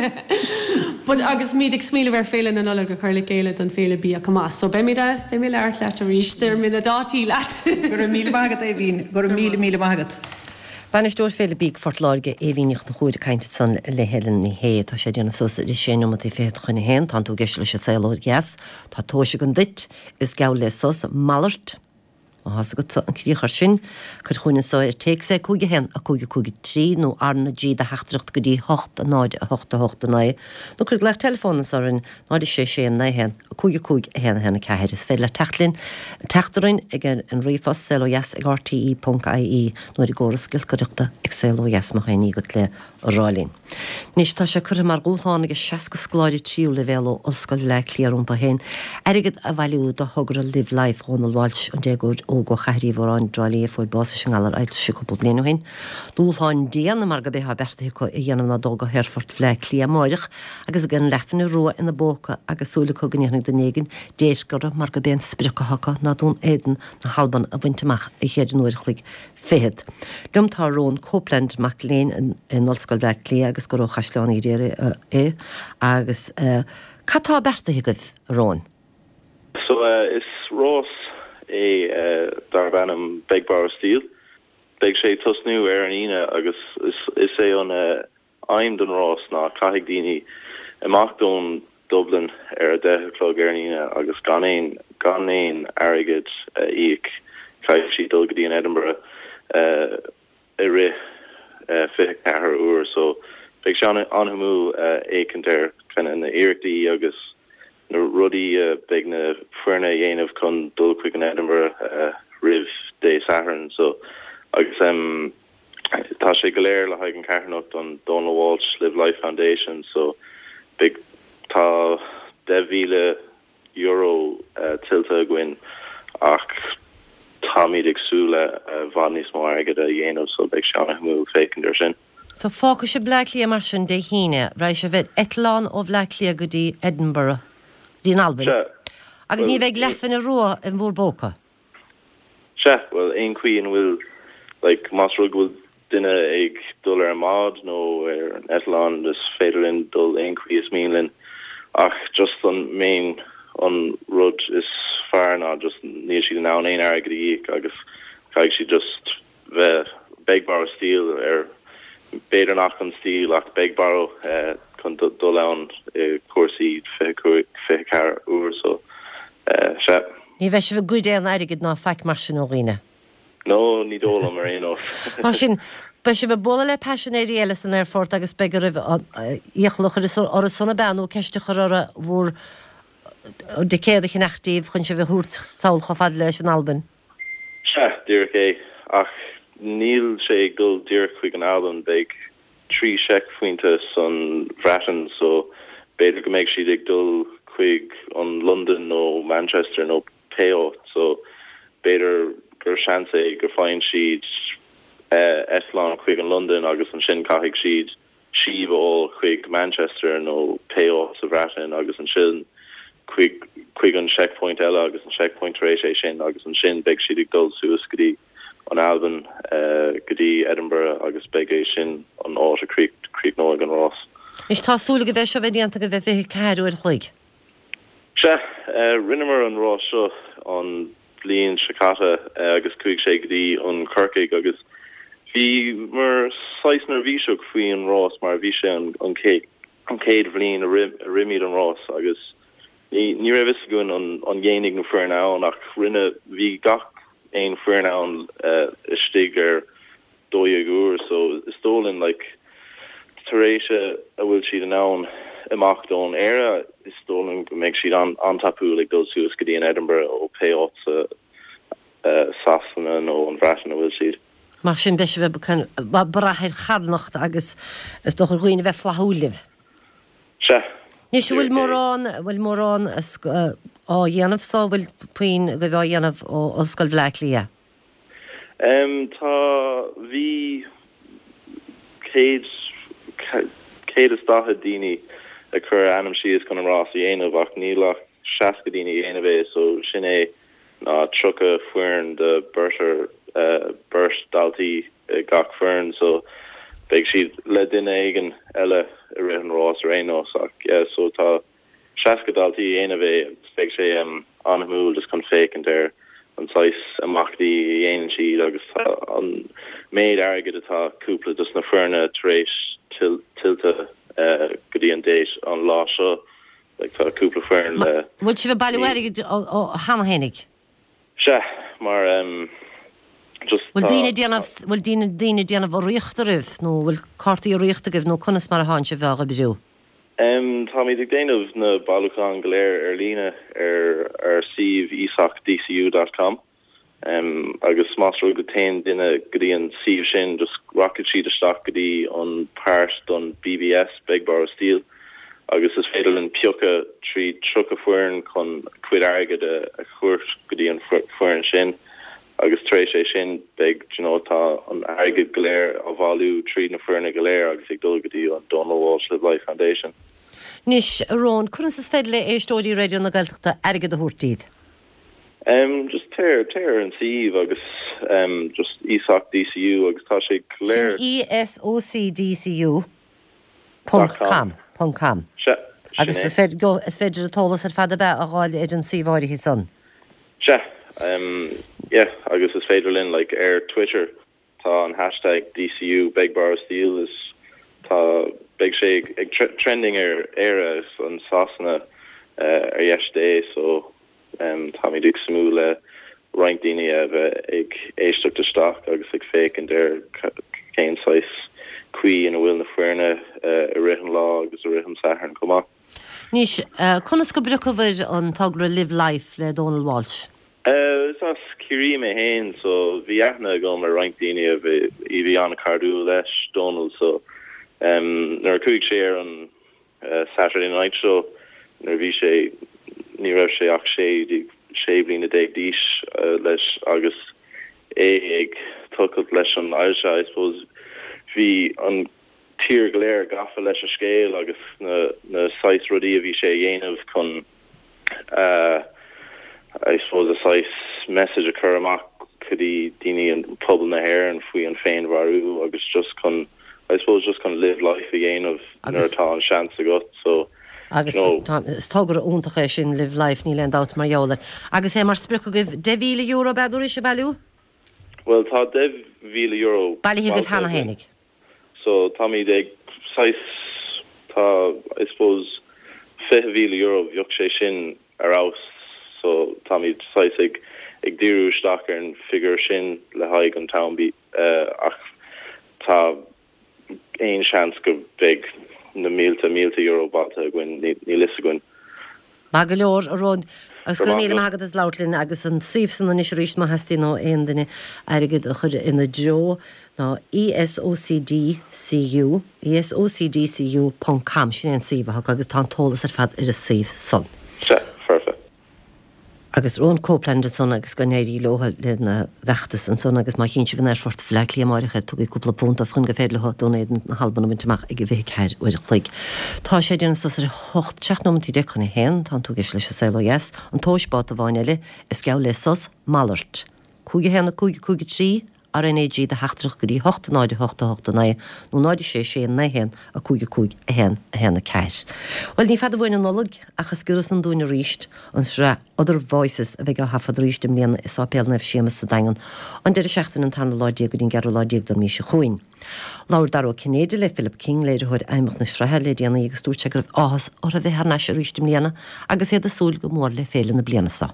But agus muid ag smaoineamh ar Féile na Nollag a chur le chéile don Féile Bia chomh maith. So beimid a, beidh mé ag labhairt leat arís, déarfaidh mé na dátaí leat. Go raibh míle maith agat, Aoibhín. Go raibh míle, míle maith agat. Bainisteoir Féile Bídh Phort Láirge, Aoibhín Ní Chonchúir ag caint ansan le Helen Ní Shé. Tá sé ag déanamh suas le sé neomataí fichead chun a haon. Tánn tú ag éisteacht leis an Saol Ó Dheas. Tá tomhais agam duit. Is geall le sos. Malairt. Má thá's agatsa an críoch air sin, cuir chugainn anso ar téacs é 5 1 5 5 3 nó R na G do theachtaireacht go dtí 8 0 8 8 9 nó cuir glaoch teileafóin anso orainn 0 6 6 9 1 5 5 1 1 4. Is féidir leat teacht linn, teacht orainn ag an ríomhphost saolodheas ag rte ponc ie nó ar an gcóras giolcaireachta ag Saol Ó Dheas má tá aon ní agat le rá linn. Anois, tá sé curtha mar dhúshlán ag 60 scoláire tríú leibhéal ó Ollscoil Bhaile Átha Cliath rompu féin airgead a bhailiú do thogra Live Life Dhónal Walsh, an déagóir óg ó Chathair Uí Mhóráin i dTrá Lí a fuair bás leis an ngalar ailse cúpla bliain ó shin. Dúshlán dian mar gurb é atá beartaithe acu a dhéanamh ná dul go hAerfort Bhaile Átha Cliath amáireach agus gan leathphingin rua ina bpóca agus súil acu go ndéanfaidh duine éigin déirc orthu mar gurb é an sprioc atá acu ná Dún Éideann na hAlban a bhaint amach i gceithre n-uair a chloig fichead. Liom tá Rowan Copeland, mac léinn in Ollscoil Bhaile Átha Cliath agus gur ó Chaisleán Uí Ghriaire é. Agus cad tá beartaithe agaibh, a Rowan? So is rás é darb ainm Beg Borrow Steal. Beidh sé ag tosnú ar an Aoine agus is é an aidhm don rás ná caithfidh daoine imeacht ón Dublin ar a 10 a chlog ar an Aoine agus gan aon gan aon airgead a íoc caithfidh siad dul go dtí an Edinburgh i rith 24 uair so beidh sé an-shuimiúil fhéachaint ar kind of na iarrachtaí agus na rudaí a beidh na foirne a dhéanamh chun dul chuig an Edinburgh roimh Dé Sathairn so agus Tá sé go léir le haghaidh an carthanacht an Donal Walsh Live Life Foundation so beidh tá €10,000 tuillte againn ach táimid ag súil le i bhfad níos mó airgid a dhéanamh so beidh sé an-shuimiúil féachaint ar sin. So fágfaidh sibh Bleá Cliath mar sin Dé hAoine, raghaidh sibh ar eitleán ó Bhleá Cliath go dtí Edinburgh, go dtí an Albain, Sea, agus ní bheidh leathphingin rua in bhúr bpóca. Sea, bhuel, aon chaoi ina bhfuil, like, más rud go bhfuil duine ag dul ar an mbád nó ar an eitleán, is féidir linn dul aon chaoi is mian linn. Ach just an main, an rud is fearr ná just níl siad in ann aon airgead a íoc agus caithfidh siad just bheith beg borrow steal ar b'fhéidir nach an steal ach beg borrow chun dul ann i cúrsaí 25, 24 uair so sea. Ní bheidh sibh ag goid aon airgid ná faic mar sin ó dhaoine? No, ní dóigh liom ar aon nós. Mar sin, beidh sibh ag bualadh le paisinéirí eile san aerfort agus beidh oraibh iachall a chur orthu san ab ea nó ceist a chur orthu bhur dticéad a cheannach daoibh chun sibh a thabhairt sall chomh fada leis an Albain? Sea, díreach é. Ach níl sé ag dul díreach chuig an Albain, beidh 3 seicphointe san Bhreatain so b'fhéidir go mbeidh siad ag dul chuig an Londain nó Manchester nó pé áit so b'fhéidir. gur seans é go faigheann siad eitleán chuig an Londain agus ansin caithfidh siad síob a fháil chuig Manchester nó pé áit sa Bhreatain agus ansin chuig chuig an checkpoint eile agus an checkpoint tar éis é sin agus ansin beidh siad ag dul suas go dtí an Albain go dtí Edinburgh agus beidh é sin an áit a críochnóidh an rás. Anois tá súil agaibh é seo bheith déanta agaibh i 24 uair a chloig. Sea, rinneamar an rás seo an bhliain seo caite agus chuaigh sé go dtí an Corcaigh agus bhíomar saghas neirbhíseach faoi an rás mar bhí sé an chéad bhliain a rith muid an rás agus ní raibh fhios againn an dhéanfaidh na foirne ann ach rinne, bhí gach aon foireann ann istigh ar 12 uair so is dóigh linn like tar éis a bhfuil siad in ann imeacht ón Éire is dóigh linn go mbeidh siad an-tapúil ag dul suas go dtí an Edinburgh ó pé áit sa Sasana nó an Bhreatain a bhfuil siad. Mar sin beidh sibh ag brath ar charthanacht agus is dócha ar dhaoine a bheith flaithiúil libh. Sea. Anois an bhfuil mórán, bhfuil mórán á dhéanamh so, bhfuil puinn agaibh á dhéanamh ó Ollscoil Bhaile Átha Cliath? Tá, bhí 100, 140 daoine ag cur a ainm síos chun an rás a dhéanamh ach níl ach 60 daoine a dhéanamh é so sin é ná 30 foireann de beirt ar beirt daltaí i gach foireann so beidh siad le duine éigin eile i rith an rás ar aon nós ach yeah so tá 60 daltaí a dhéanamh é agus beidh sé an-shuimiúil just chun féachaint ar an saghas imeachtaí a dhéanann siad agus tá an méid airgid atá cúpla dos na foirne tar éis tuillte go dtí an date an lá seo like tá cúpla foireann le Bhfuil sibh ag bailiú airgid cheana fhéinig? Sea, mar just Bhfuil daoine ag déanamh, bhfuil daoine, daoine ag déanamh urraíocht oraibh nó bhfuil cártaí urraíochta agaibh nó conas mar atánn sibh á oibriú? Táimid ag déanamh na bailiúcháin go léir ar líne ar ár suíomh esocdcu dot com agus más rud go téann duine go dtí an suíomh sin just rachaidh siad isteach go dtí an páirt don BBS, Beg Borrow Steal. agus is féidir linn piocadh tríd 30 foireann chun cuid airgid a thabhairt go dtí an foireann sin agus tar éis é sin beidh you know tá an airgead go léir á bhailiú tríd na foirne go léir agus ag dul go dtí an Donal Walsh Live Life Foundation. Anois, a Róin, conas is féidir le éisteoirí Raidió na Gaeltachta airgead a thabhairt daoibh? Em just téir téir ar an suíomh agus em just ESOC DCU agus tá sé go léir. Sin ESOC DCU. Ponc com. Ponc com. Sea, sin Agus é. is féidir, go, is féidir an t-eolas ar fad ab ea a fháil ar an suíomh áirithe san. Sea, em, yeah, agus is féidir linn, like, ar Twitter, tá an hashtag DCU Beg Borrow Steal is tá, beidh sé ag, ag trending ar Éire is an Sasana, eh, ar dheis Dé, so, Táimid ag súil le roinnt daoine a bheith ag éisteacht isteach agus ag féachaint ar cén saghas caoi ina bhfuil na foirne i rith an lá agus i rith an Sathairn chomh maith. Anois, conas go bpriocabhair an togra Live Life le Dónal Walsh? Is as Ciarraí mé féin so bhí aithne agam ar roinnt daoine a bhí an-chairdiúil leis Dónal so nuair a chuaigh sé ar an Saturday Night Show nuair a bhí sé, ní raibh sé ach 16, 16 bliana d'aois leis agus é ag tochailt leis an ailse, I suppose bhí an tír go léir gafa leis a scéal agus na na saghas rudaí a bhí sé a dhéanamh chun a I suppose a saghas message a chur amach go dtí daoine an pobal na hÉireann faoi an féinmharú agus just chun I suppose just chun live life a dhéanamh nuair atá an seans agat so Agus you know. tá, is togra iontach é sin live life níl aon dabht mar gheall air. Agus é mar sprioc agaibh €10,000 ab ea dúraís a bhailiú? Bhuel tá €10,000 Bailithe agaibh bailithe cheana againn. fhéinig. So táimid ag saghas, tá I suppose €20,000 bheadh sé sin ar fheabhas so táimid saghas ag ag díriú isteach ar an figiúr sin le haghaidh an t-am ach tá aon seans go mbeidh na mílte mílte euro bailithe againn, níl fhios againn. Maith go leor, a Róin, agus go raibh míle maith agat as labhairt linn agus an suíomh san anois arís má theastaíonn ó aon duine airgead a chur ina dtreo ná ESOCDCU, ESOCDCU ponc com, sin é an suíomh atá acu agus tá an t-eolas ar fad ar an suíomh san. Sea, foirfe. Agus Rowan Copeland ansan agus go n-éirí leo lena bhfeachtas ansan agus má chíonn sibh in Aerfort Bhaile Átha Cliath amáireach iad tugaigí cúpla punt dóibh chun gur féidir leo Dún Éideann na hAlban a bhaint amach ag a 24 uair a chloig. Tá sé ag déanamh suas ar a hocht, 17 nóimeantaí chun a haon, tá tú ag éisteacht leis an Saol Ó Dheas, an tomhais báta amháin eile, is geall le sos, malairt. 5 1 5 5 3, RnaG do theachtaireacht go dtí 8 0 8 8 9 nó 0 6 6 9 1 5 5 1 1 4. Bhuel, ní fada uainn an Nollaig, ach is giorra san dúinn arís an sraith Other Voices a bheidh á thaifead arís i mbliana i Sáipéal Naomh Séamus sa Daingean an deireadh seachtaine an tarna lá déag go dtí an gceathrú lá déag den mhí seo chugainn. Labhair Dara Ó Cinnéide le Philip King, léiritheoir fheidhmeach na sraithe, le déanaí agus dúirt sé go raibh áthas orthu a bheith thar n-ais arís i mbliana agus iad ag súil go mór le féile na bliana seo.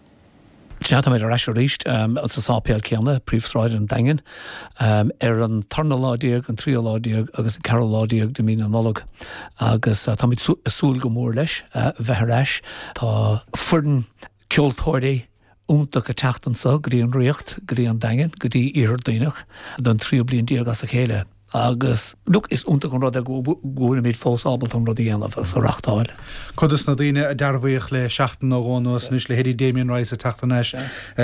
Sea, táimid ar ais arís sa sáipéal céanna, Príomhshráid an Daingin, ar an tarna lá déag, an tríú lá déag agus an ceathrú lá déag de mí na Nollag agus táimid ag súil go mór leis bheith ar ais. Tá foireann ceoltóirí iontach ag teacht anso go dtí an Ríocht, go dtí an Daingean, go dtí Iarthar Duibhneach don tríú bliain déag as a chéile. Agus, look, is iontach an rud é go bhfuilimid fós ábalta an rud a dhéanamh agus a reachtáil. Cuid dos na daoine a dearbhaíodh le seachtain nó dhó anuas anois, leithéidí Damien Rice ag teacht thar n-ais,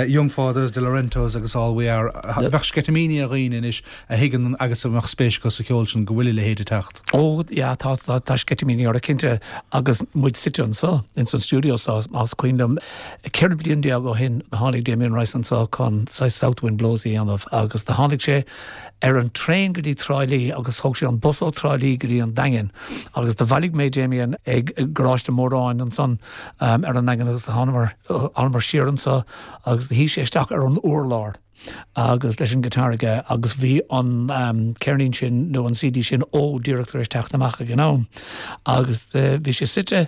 Young Fathers, Delorentos agus All We Are, bheadh sceitimíní ar dhaoine anois a thuigeann agus a mbeadh spéis acu sa cheol sin go bhfuil a leithéid ag teacht. Ó, yeah, tá, tá, tá sceitimíní orthu cinnte agus muid suite anso, ins an stiúideo so, más cuimhin liom, 14 bliain ó shin do tháinig Damien Rice anso chun saghas South Wind Blows a dhéanamh agus do tháinig sé ar an traein go dtí Trá Lí agus thóg sé an bus ó Trá Lí go dtí an Daingean agus do bhailigh mé Damien ag Garáiste Móráin ansan ar an nDaingean agus do thánamar siar anso agus do shuigh sé isteach ar an urlár agus leis an guitar aige agus bhí an ceirnín sin nó an CD sin Ó díreach tar éis teacht amach ag an am agus bhí sé suite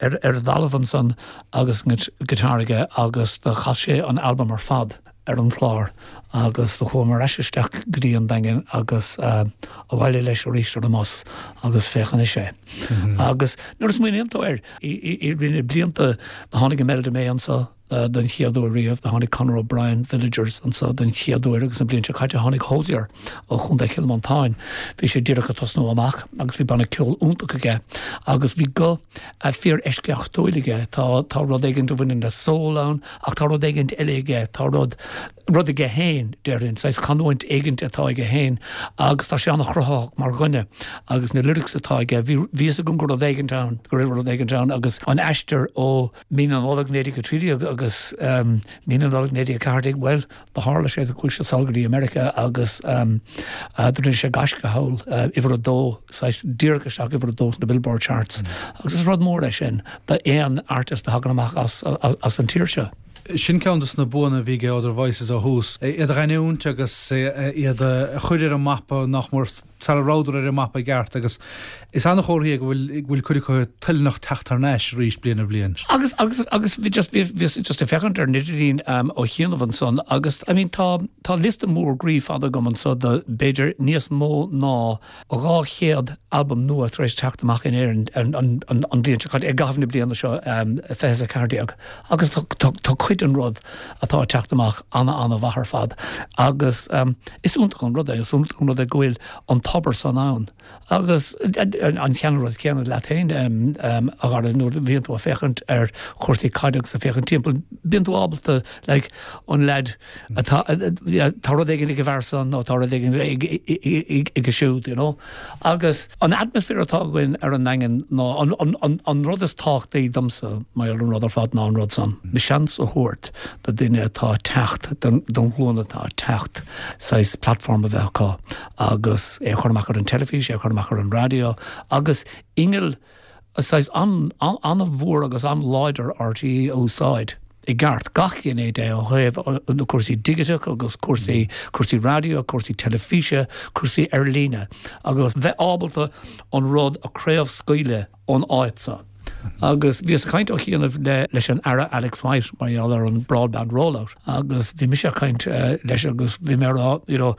ar ar an dtalamh ansan agus an guitar aige agus do chas sé an albam ar fad. ar an chlár agus do chuamar ar ais isteach go dtí an Daingean agus abhaile leis arís ar an mbus agus féach anois é. Agus nuair a smaoiníonn tú air, i rith na blianta do tháinig Imelda May anso don chéad uair riamh, do tháinig Conor O'Brien, Villagers, anso don chéad uair agus an bhliain seo caite tháinig Hozier ó Chontae Chill Mhantáin. Bhí sé díreach ag tosnú amach agus bhí banna ceoil iontach aige agus bhí guth fíor-eisceachtúil aige. Tá tá rud éigin a bhaineann le soul ann Ach tá rud éigint eile aige, tá rud, rud aige féin, déarfainn, saghas canúint éigint atá aige féin agus tá sé an-chruthaitheach mar dhuine agus na lyrics atá aige, bhí, bhí fhios agam go raibh rud éigint ann, go raibh rud éigint ann agus an aistear ó mí na Nollag 1913 agus mí na Nollag 1914, bhuel, Do tharla sé, do chuaigh sé sall go dtí America agus do rinne sé gaisce thall, uimhir a dó, saghas díreach isteach uimhir a dó sna Billboard Charts agus is rud mór é sin d'aon artist a thagann amach as as an tír seo. Sin ceann dos na buanna a bhí ag Other Voices ó thús, iad a ghiniúint agus iad a chur ar an mapa nach mór. sara rabhadar ar an mapa i gceart agus is an-chomhartha é go bhfuil go bhfuil cuid acu toilteanach teacht thar n-ais arís bliain ar bhliain. Agus agus agus bhí just bhí bhíos just ag féachaint ar an idirlíon ó chianaibh ansan agus I mean tá tá liosta mór groí fada agam anso de b'fhéidir níos mó ná 200 albam nua tar éis teacht amach in Éirinn an an an an bhliain seo caite i gcaitheamh na bliana seo 20 is 14 agus tá tá tá cuid den rud atá ag teacht amach ana ana mhaith ar fad agus Is iontach an rud é, is iontach an rud é go bhfuil an tobar san ann. Agus an ceann rud céanna leat féin, a Dhara, nuair a bhíonn tú ag féachaint ar chúrsaí caide agus ag féachaint timpeall, bíonn tú ábalta, like, an leaid atá, tá rud éigin ag an bhfear san nó tá rud éigin aige siúd, you know. Agus an atmaisféar atá againn ar an nDaingean ná, an rud is tábhachtaí domsa, mar gheall ar an rud ar fad ná an rud san, seans a thabhairt do duine atá ag teacht, don ghlúin atá ag teacht, saghas platform a bheith acu agus é a chur amach ar an teilifís, é a chur amach ar an raidió agus inneall saghas an-mhór agus an-láidir RTÉ a úsáid i gceart, gach gné de ó thaobh na cúrsaí digiteach agus cúrsaí, cúrsaí raidió, cúrsaí teilifíse, cúrsaí ar líne agus bheith ábalta an rud a chraobhscaoileadh ón áit seo. Agus bhíos ag caint ó chianaibh le leis an Aire Alex White mar gheall ar an broadband rollout agus bhí mise ag caint leis agus bhí mé ag rá you know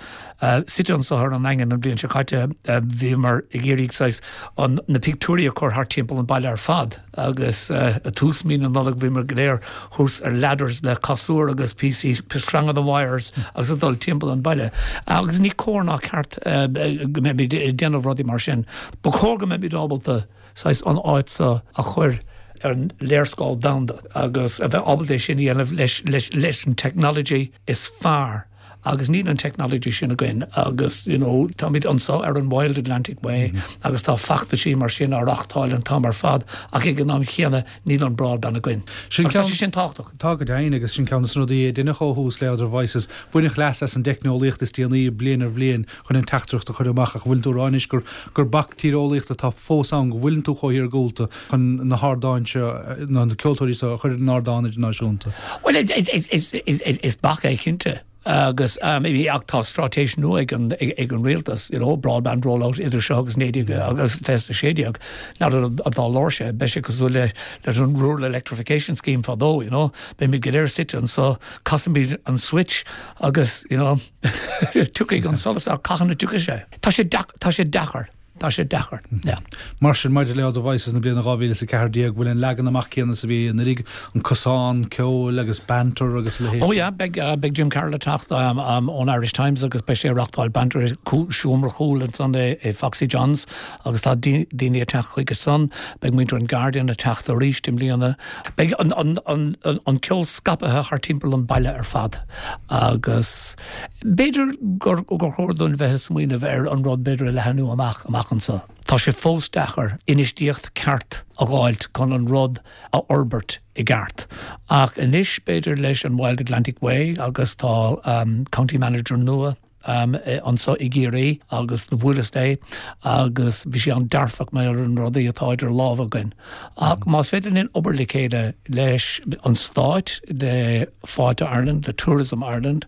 suite anso ar an nDaingean an bhliain seo caite bhíomar ag iarraidh saghas an na pictiúirí a chur thart timpeall an baile ar fad agus i tús mí na Nollag bhíomar go léir thuas ar ladders le casúr agus píosaí sreanga wires agus ag dul timpeall an baile agus ní cóir ná ceart go mbeimid ag déanamh rudaí mar sin. Ba chóir go mbeimid ábalta saghas an áit seo a chur. ar an léarscáil domhanda agus a bheith ábalta é sin a dhéanamh leis leis leis an technology is fearr agus níl an technology sin againn agus you know táimid anseo ar an Wild Atlantic Way agus tá feachtaisí mar sin á reachtáil an t-am ar fad ach ag an am chéanna níl an broadband againn. Sin Agus tá sé sin tábhachtach. Tá go deimhin agus sin ceann de na rudaí a deineadh ó thús le Other Voices. Baineadh leas as an dteicneolaíocht is déanaí bliain ar bhliain chun an teachtaireacht a chur amach ach bhfuileann tú ag rá anois gur gur bac tíreolaíochta atá fós ann go bhfuileann tú chomh hiargúlta chun na hardáin seo nó na ceoltóirí seo a chur ar an ardán idirnáisiúnta? Bhuel is bac é cinnte agus ach tá straitéis nua ag an ag an rialtas you know broadband rollout idir seo agus 19 agus 2016 n'fheadar an dtarlóidh sé beidh sé cosúil le leis an rural electrification scheme fadó you know beimid go léir suite anseo casfaimid an switch agus you know tiocfaidh an solas ach cathain a dtiocfaidh sé? Tá sé tá sé deacair. Tá sé deacair, yeah. Mar sin, maidir le Other Voices na bliana 2014, bhfuil an leagan amach céanna is a bhí anuraidh, an cosán ceoil agus banter agus a leithéid? Oh yeah, beidh, beidh Jim Carroll ag teacht ón Irish Times agus beidh sé ag reachtáil banter i seomra cúil ansan i Foxy John's agus tá daoine ag teacht chuige san. Beidh muintir an Guardian ag teacht arís i mbliana. Beidh an, an, an, an ceol scaipthe thar timpeall an baile ar fad agus B'fhéidir gur chóir dúinn bheith ag smaoineamh ar an rud b'fhéidir a leathnú amach amach anseo. Tá sé fós deacair infheistíocht ceart a dh'fháilt chun an rud a fhorbairt i gceart. Ach anois b'fhéidir leis an Wild Atlantic Way agus tá County Manager nua anseo i gCiarraí agus do bhuaileas léi agus bhí sí an-dearfach mar gheall ar na rudaí atá idir lámha againn. Ach más féidir linn obair le chéile leis an Stáit, le Fáilte Ireland, le Tourism Ireland,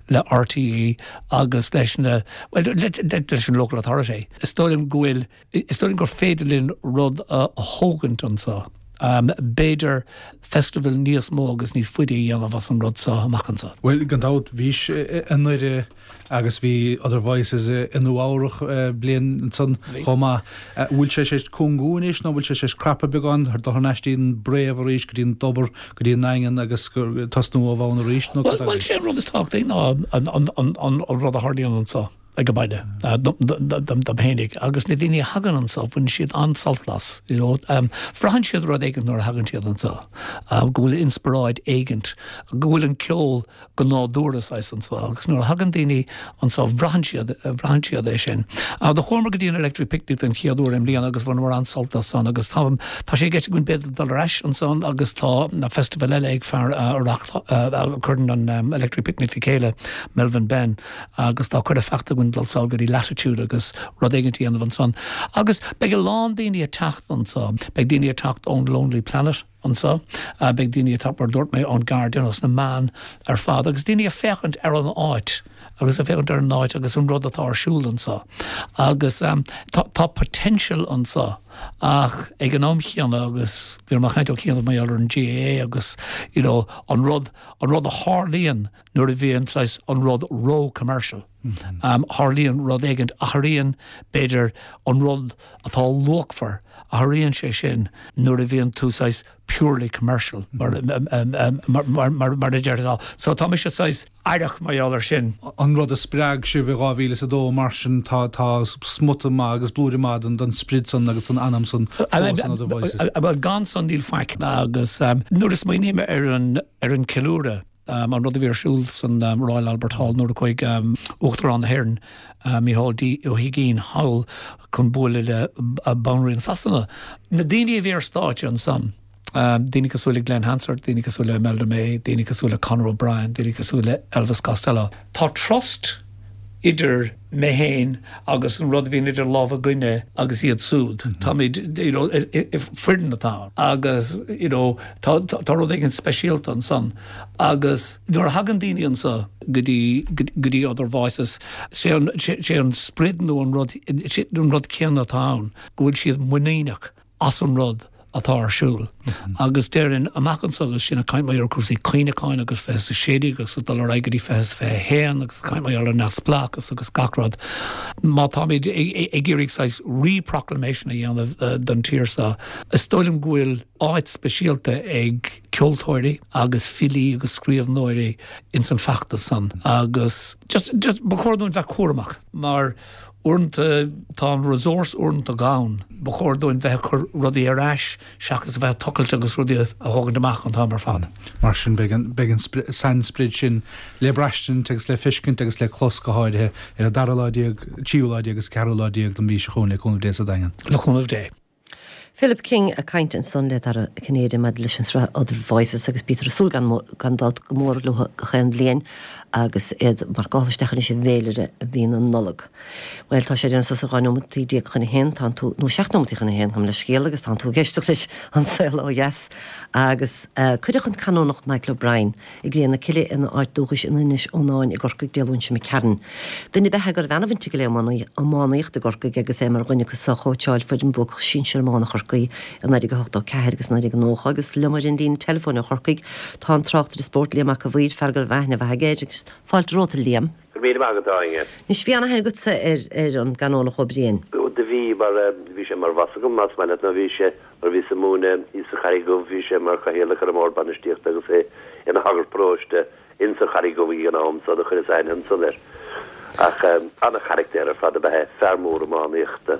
le RTÉ agus leis na, bhuel, leis an Local Authority, is dóigh liom go bhfuil, is dóigh liom gur féidir linn rud a thógaint anseo. B'fhéidir festival níos mó agus níos faide a dhéanamh as an rud seo amach anseo. Bhuel, gan dabht, bhís i nDoire Agus bhí Other Voices i Nua Eabhrach bliain ansan chomh maith. Bhfuil sé tar éis cúngú anois nó bhfuil sé tar éis crapadh beagán, dul thar n-ais dtí an bpréamh arís, go dtí an dtobar, go dtí an nDaingean agus tosnú ó bhonn arís nó cad é? Bhuel, sé an rud is tábhachtaí ná an rud a tharlaíonn anso ag an baile dom fhéinig agus na daoine a thagann anso, baineann siad an-sult as, you know. Braitheann siad rud éigint nuair a thagann siad anso, go bhfuil inspioráid éigint, go bhfuil an ceol go nádúrtha saghas anso agus nuair a thagann daoine anso bhraitheann siad, bhraitheann siad é sin. Do chuamar go dtí an Electric Picnic den chéad uair i mbliana agus bhaineamar an-sult as san agus tá, tá sé i gceist againn b'fhéidir dul ar ais ansan agus tá festival eile ag fear a a chuireann an Electric Picnic le chéile, Melvin Benn, agus tá cuireadh faighte againn dul sall go dtí Latitude agus rud éigin a dhéanamh ansan. Agus beidh a lán daoine ag teacht anso, beidh daoine ag teacht ón Lonely Planet, anseo. Beidh daoine ag teacht, mar a dúirt mé, ón Guardian, os na meáin ar fad, agus daoine ag féachaint ar an áit, agus ag féachaint ar an áit agus an rud atá ar siúl anseo. Agus tá, tá potential anseo ach ag an am chéanna, agus bhí mé ag caint ó chianaibh mar gheall ar an GAA agus, you know, an rud, an rud a tharlaíonn nuair a bhíonn saghas an rud ró-commercial. Tharlaíonn rud éigint, athraíonn, b'fhéidir, an rud atá luachmhar, athraíonn sé sin nuair a bhíonn tú saghas purely commercial, mar a déarfá. So tá mise saghas aireach mar gheall air sin. An rud a spreag sibh i 2002 mar sin, tá smut maith agus blúire maith den sprid san agus den anam san fós in Other Voices. Bhuel, gan san níl faic. Agus nuair a smaoiním ar an ceiliúradh, An rud a bhí ar siúl san Royal Albert Hall nuair a chuaigh Uachtarán na hÉireann, Micheál D. Ó hUigínn thall chun bualadh le Banríon Sasana. Na daoine a bhí ar stáitse ansan, daoine cosúil le Glen Hansard, daoine cosúil le Imelda May, daoine cosúil le Conor O'Brien, daoine cosúil le Elvis Costello. Tá trust idir mé féin agus an rud a bhíonn idir lámha againne agus iad súd. Táimid, you know, foireann atá ann agus, you know, tá, tá rud éigin speisialta ansan agus nuair a thagann daoine anso go dtí, go dtí Other Voices, sé an, sé an sprid nó an rud, an rud céanna atá ann, go bhfuil siad muiníneach. as an rud atá ar siúl. Agus déarfainn, amach anso agus sinn ag caint mar gheall ar cúrsaí cuimhneacháin agus 20 is 16 agus ag dul ar aghaidh go dtí 20 is 21 agus ag caint mar gheall ar neamhspleáchas agus gach rud, má táimid ag iarraidh saghas re-proclamation a dhéanamh don tír seo, is dóigh liom go bhfuil áit speisialta ag ceoltóirí agus filí agus scríbhneoirí ins an feachtas san agus just, just, ba chóir dúinn bheith cúramach mar. Uaireanta tá an resource uaireanta gann. Ba chóir dúinn bheith ag cur rudaí ar ais seachas a bheith ag tochailt agus rudaí a thógaint amach an t-am ar fad. Mar sin beidh an, beidh an sainsprid sin le braistint agus le feiscint agus le clos go háirithe ar an dara lá déag, tríú lá déag agus ceathrú lá déag den mhí seo chugainn le cúnamh Dé sa Daingean. Le cúnamh Dé. Philip King ag caint ansan le Dara Ó Cinnéide maidir leis an sraith Other Voices agus bítear ag súil gan gan dabht go mór leo gach aon bhliain agus iad marcáilte isteach anois i bhféilire mhí na Nollag. Bhuel tá sé ag déanamh suas le 12 nóimeataí chun a haon, tánn tú, nó 7 nóimeataí chun a haon, gabh mo leithscéal agus tánn tú ag éisteacht leis An Saol Ó Dheas agus cuireadh an Canónach Michael O'Brien I gcré na cille ina áit dúchais in Inis Eonáin i gCorcaigh Dé Luain seo imigh tharainn. Duine ab ea é go raibh ana-bhaint aige le iománaíocht i gCorcaigh agus é mar dhuine acu a chóitseáil foireann buacach sinsir iomána Chorcaí i 1984 agus 1990 agus liom ar an líne teileafóin ó Chorcaigh tá an tráchtaire spóirt Liam Mac a' Mhaoir, fear go raibh aithne mhaith aige air agus fáilte romhat a Liam. Go raibh míle maith agat, a Áine. Anois bhí ana-aithne agatsa ar an gCanónach Ó Briain. Do bhí, mar bhí sé mar bhoss agam, más maith leat, nó bhí sé, nuair a bhíos ag múineadh thíos sa Charraig Dhubh, bhí sé mar chathaoirleach ar an mbord bainistíochta agus é ina shagart paróiste insa Charraig Dhubh ag an am so do chuireas aithne ansan air. Ach ana-charactéar ar fad ab ea é, fear mór iománaíochta.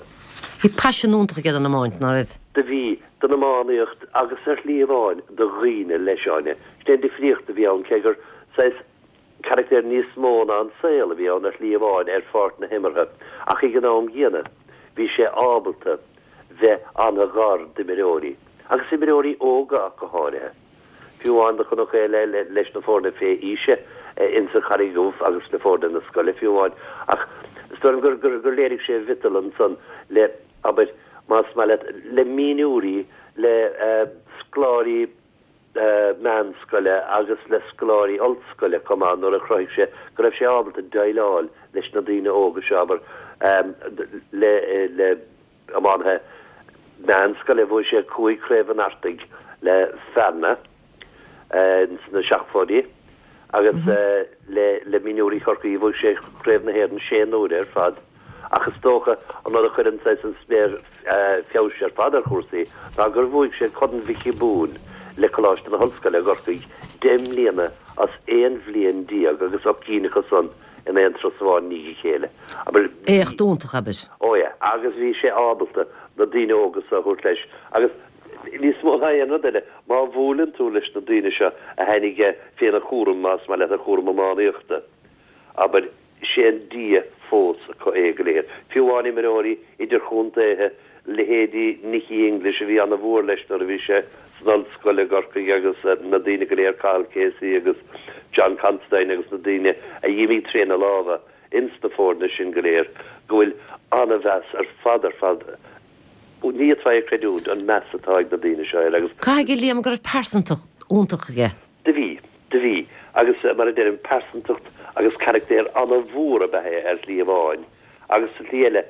Bhí paisean iontach aige don iomáint, ná raibh? Do bhí, don iománaíocht agus ar shlí amháin do dhaoine leis, Áine. Sin é an difríocht a bhí ann, cé gur saghas Carachtar níos mó ná an saol a bhí ann ar shlí amháin ar pháirc na himeartha ach ag an am gcéanna bhí sé ábalta bheith an-ghar d'imreoirí, agus imreoirí óga ach go háirithe. Fiú amháin do chonac é le leis na foirne fé aoise insa Charraig Dhubh agus le foirne na scoile fiú amháin ach is dóigh liom gur gur gur léirigh sé a mhiotal ansan le, abair, más maith leat, le mionúirí, le scoláirí, meánscoile agus le scoláirí ollscoile chomh maith nuair a chruthaigh sé go raibh sé ábalta déileáil leis na daoine óga seo, abair, le le iománaithe meánscoile. Bhuaigh sé 5 Chraobh an Artaigh le Fearna ins na seachtóidí agus le le mionúirí Chorcaí bhuaigh sé Craobh na hÉireann sé n-uaire ar fad. Ach is dócha an rud a chuireann saghas an sméar feabhais ar fad ar chúrsaí ná gur bhuaigh sé Corn Mhicí Boone le Coláiste na hOllscoile i gCorcaigh 10 mbliana as 11 bhliain agus 8 gcinn acu san in aon turas amháin i ndiaidh a chéile. Abair, bhí. Éacht iontach, abair. Ó yeah, agus bhí sé ábalta na daoine óga so a thabhairt leis agus níos mó ná aon rud eile, má bhuaileann tú leis na daoine seo a tháinig féna chúram, más maith leat, a chúram iománaíochta, abair, Sé an Dia fós acu é go léir. Fiú amháin imreoirí idirchontaetha, leithéidí Nicky English a bhí ana-mhór leis nuair a bhí sé san ollscoil i gCorcaigh agus na daoine go léir, Cathal Casey agus John Considine agus na daoine a d'imigh tréna lámha ins na foirne sin go léir, go bhfuil ana-mheas ar fad ar fad, ní fhéadfá é a chreidiúint, an meas atá ag na daoine seo air agus. Caithfidh, a Liam, go raibh pearsantacht iontach aige. Do bhí. Do bhí. Agus, mar a deirim, pearsantacht agus caractéar ana-mhór ab ea é ar shlí amháin, agus sa tslí eile,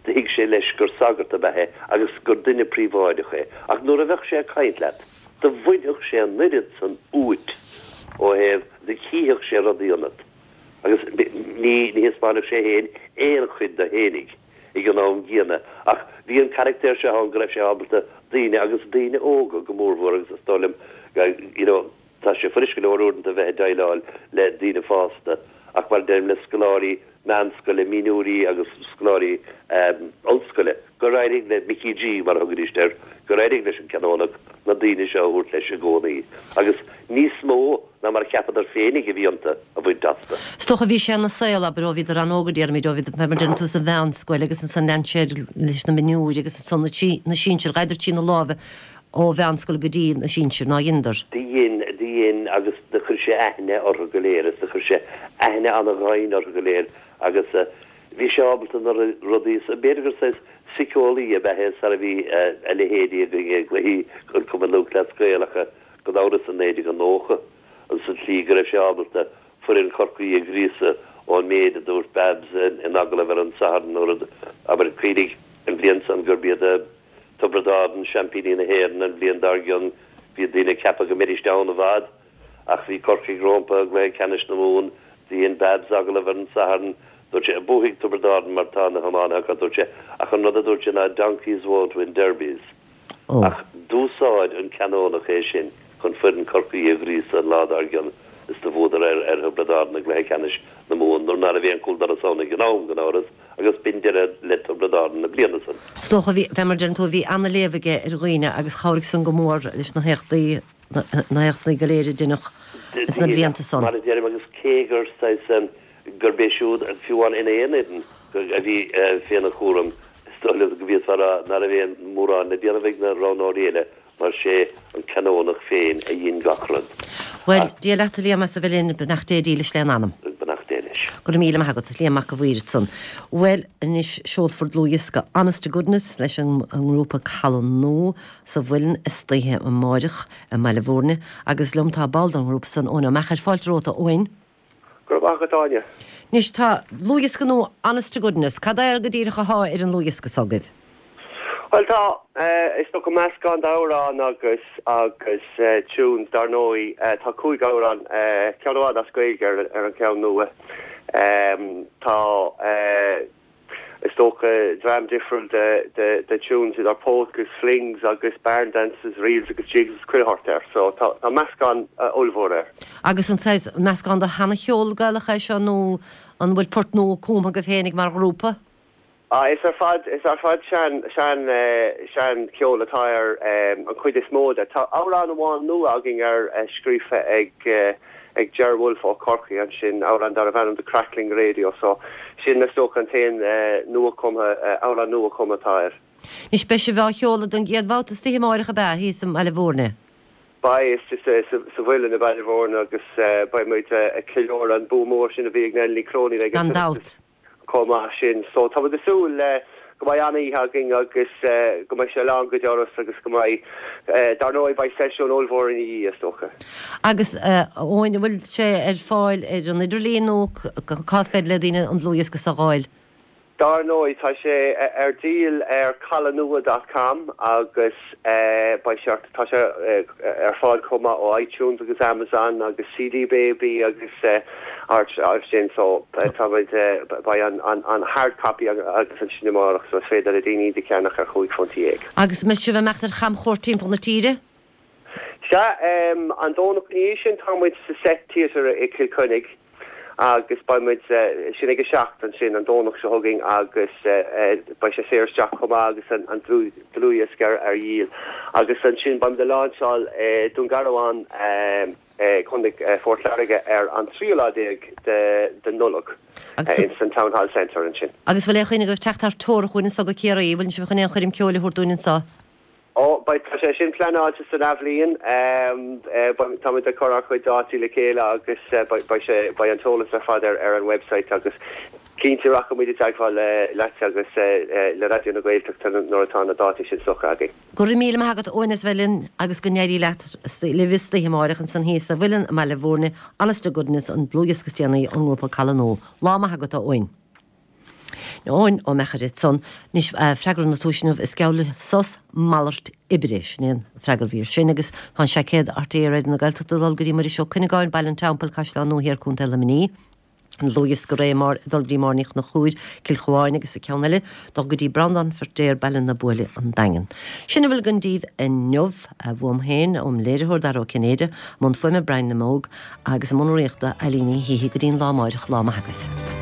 do thuig sé leis gur sagart ab ea é agus gur duine príobháideach é. Ach nuair a bheadh sé ag caint leat, do bhainfeadh sé an oiread san uait ó thaobh, do chífeadh sé rudaí ionat, agus ní, ní thaispeánfadh sé fhéin aon chuid de fhéinig. ag an am gcéanna. Ach bhí an caractéar seo ann go raibh sé ábalta daoine, agus daoine óga go mórmhór, agus is dóigh liom, you know, tá sé fuirist go leor uaireanta bheith ag déileáil le daoine fásta, ach mar a deirim, le scoláirí meánscoile, mionúirí agus scoláirí ollscoile, gur éirigh le Mickey G, mar a thugaidís air, gur éirigh leis an Canónach na daoine seo a thabhairt leis i gcónaí. Agus níos mó ná mar a cheapadar féinig a bhí iontu a bhaint astu. Is dócha bhí sé ina saol, abair, ó bhíodar an-óg, a déarfaimid, ó bhíodar, mar a deireann tú, sa mheánscoil agus ansan lean sé leis na mionúirí agus ansan na sinsir, ghabhadar trína lámha ó mheánscoil go dtí na sinsir, nár dheineadar? Do dhein, do dhein agus do chuir sé aithne orthu go léir agus do chuir sé aithne ana-dhoimhin orthu go léir agus bhí sé ábalta na rudaí, b'fhéidir gur saghas síceolaí ab ea é sara bhí a leithéidí againn i gcluichí an Chumann Lúthchleas Gael ach gan amhras i 1990 sa tslí go raibh sé ábalta foireann Chorcaí a ghríosadh ón méid a dúirt Babs in agallamh ar an Satharn nuair a, abair, cuimhnigh an bhliain san gurb iad Tiobraid Árann seaimpíní na hÉireann an bhliain dár gcionn bhí daoine ag ceapadh go mbeidís ann i bhfad ach bhí Corcaigh rómpa i gcluiche ceannais na Mumhan. Dhein Babs agallamh ar an Satharn dúirt sé, buafaidh Tiobraid Árann mar tá na hiománaithe acu dúirt sé ach an rud a dúirt sé ná donkeys won't win derbies. Ach d'úsáid an Canónach é sin chun foireann Chorcaí a ghríosadh an lá dár gcionn. Is do bhuadar ar ar Thiobraid Árann i gcluiche ceannais na Mumhan nuair ná raibh aon chúl doras ann ag an am, gan amhras, agus b'in deireadh le Tiobraid Árann na bliana san. Is dócha, bhí, fé mar a deireann tú, bhí ana-léamh aige ar dhaoine agus chabhraigh san go mór leis na héachtaí, na héachtanna go léir a deineadh ins na blianta san. Mar a deirim, agus cé gur saghas, gurb é siúd, fiú amháin ina aon fhoireann a bhí féna chúram, is dóigh liom go bhféadfá a rá ná raibh aon mórán le déanamh ag na roghnóirí eile mar sé an Canónach féin a dhein gach rud. Bhuel, Dia leat a Liam as a bheith linn, beannacht Dé dílis lena anam. Beannacht Dé leis. Go raibh míle maith agat, Liam Mac a' Mhaoir ansan. Bhuel, anois seolfar dlúthdhiosca Honest to Goodness leis an ngrúpa Caladh Nua sa Mhuileann istoíche amáireach i mBaile Bhúirne agus liom tá ball den ghrúpa san, Eoin Ó Meachair. Fáilte romhat a Eoin. Go raibh maith agat, Áine. Anois tá dlúthdhiosca nua Honest to Goodness. Cad é go díreach athá ar an ndlúthdhiosca s'agaibh? Bhuel tá, is dócha meascán d'amhráin agus agus tunes dar ndóigh. Tá 5 amhrán, ceann amháin as Gaeilge ar ar an cheann nua. Tá. Is dócha dream difriúil de tunes idir polkas, flings agus barn dances, reels agus jigs agus chuile shórt air. So tá meascán ollmhór air. Agus an saghas meascán de sheana-cheol Gaelach é seo nó an bhfuil port nua cumtha agaibh féinig mar ghrúpa? Ah, is ar fad, is ar fad sean, sean, sean cheol atá air an chuid is mó de. Tá amhrán amháin nua againn air scríofa ag ag Ger Wolfe ó Chorcaigh ansin, amhrán darbh ainm The Crackling Radio, so sin is dócha an t-aon nuachumtha, amhrán nuachumtha atá air. Anois beidh sibh á sheoladh don gcéad bhabhta istoíche amáireach ab ea, thíos i mBaile Bhúirne? Beidh, istigh sa Mhuileann i mBaile Bhúirne agus beidh muid ag ceiliúradh an bua mór sin a bhí ag Nell Ní Chróinín ag an Gan dabht. chomh maith sin. So tá muid ag súil le go mbeidh an-oíche againn agus go mbeidh sé lán go doras agus go mbeidh, dar ndóigh beidh seisiún ollmhór ina dhiaidh is dócha. Agus a Eoin, an bhfuil sé ar fáil ar an idirlíon nó cá féidir le daoine an dlúthdhiosca seo a dh'fháil? Dar ndóigh, tá sé ar díol ar caladhnua dot com agus beidh sé, tá sé ar fáil chomh maith ó iTunes agus Amazon agus CD Baby agus áit sin so tá muid, beidh an hard copy agus ansin amárach so is féidir le daoine iad a cheannach ar chúig phunt dhéag. Agus an mbeidh sibh ag imeacht ar chamchuairt timpeall na tíre? Sea, an Domhnach ina dhiaidh sin tá muid sa Set Theatre i Cill Chainnigh agus beidh muid, sin ag a 7 ansin an Domhnach seo chugainn agus beidh sé saor isteach chomh maith agus an dlúthdhiosca ar dhíol. Agus ansin beidh muid ag láinseáil i Dún Garbhán i gContae Phort Láirge ar an tríú lá déag de Nollaig ins an Town Hall Centre ansin. Agus bhfuil aon chuimhne agaibh teacht thar teorainn chugainn anso go Ciarraí? Bhfuil sibh chun aon choirm ceoil a thabhairt dúinn anso? Ó, beidh, tá sé sin pleanáilte san athbhliain. Táimid ag cur ár chuid dátaí le chéile agus beidh sé, beidh an t-eolas ar fad ar ar an website agus cinnte rachaidh muid i dteagmháil leat agus le Raidió na Gaeltachta nuair atá na dátaí sin socraithe againn. Go raibh míle maith agat Eoin as bheith linn agus go n-éirí leat, libh istoíche amáireach ansan thíos sa Mhuileann i mBaile Bhúirne, Honest to Goodness, an dlúthdhiosca is déanaí ón ngrúpa Caladh Nua. Lá maith agat a Eoin. Eoin Ó Meachair ansan. Anois, freagra na tomhaise inniu, is geall le sos malairt oibre. Sin é an freagra a bhí ar sin agus tá an seaicéad RTÉ Raidió na Gaeltachta ag dul go dtí Muiris Ó Cuinneagáin, Baile an Teampaill, Caisleán Nua Thiar, Contae Luimnigh. An dlúthdhiosca Ré Mar ag dul go dtí Máire Ní Chonchúir, Cill Chabháin agus an ceann eile ag dul go dtí Breandán Feirtéar, Baile na Buaile, An Daingean. Sin a bhfuil againn daoibh inniu. Uaim féin, óm léiritheoir Dara Ó Cinnéide, i mbun fuaime Brian na mBóg, Agus i mbun urraíochta, Eileen Ní Shíthigh go dtí an lá amáireach, lá maith agaibh.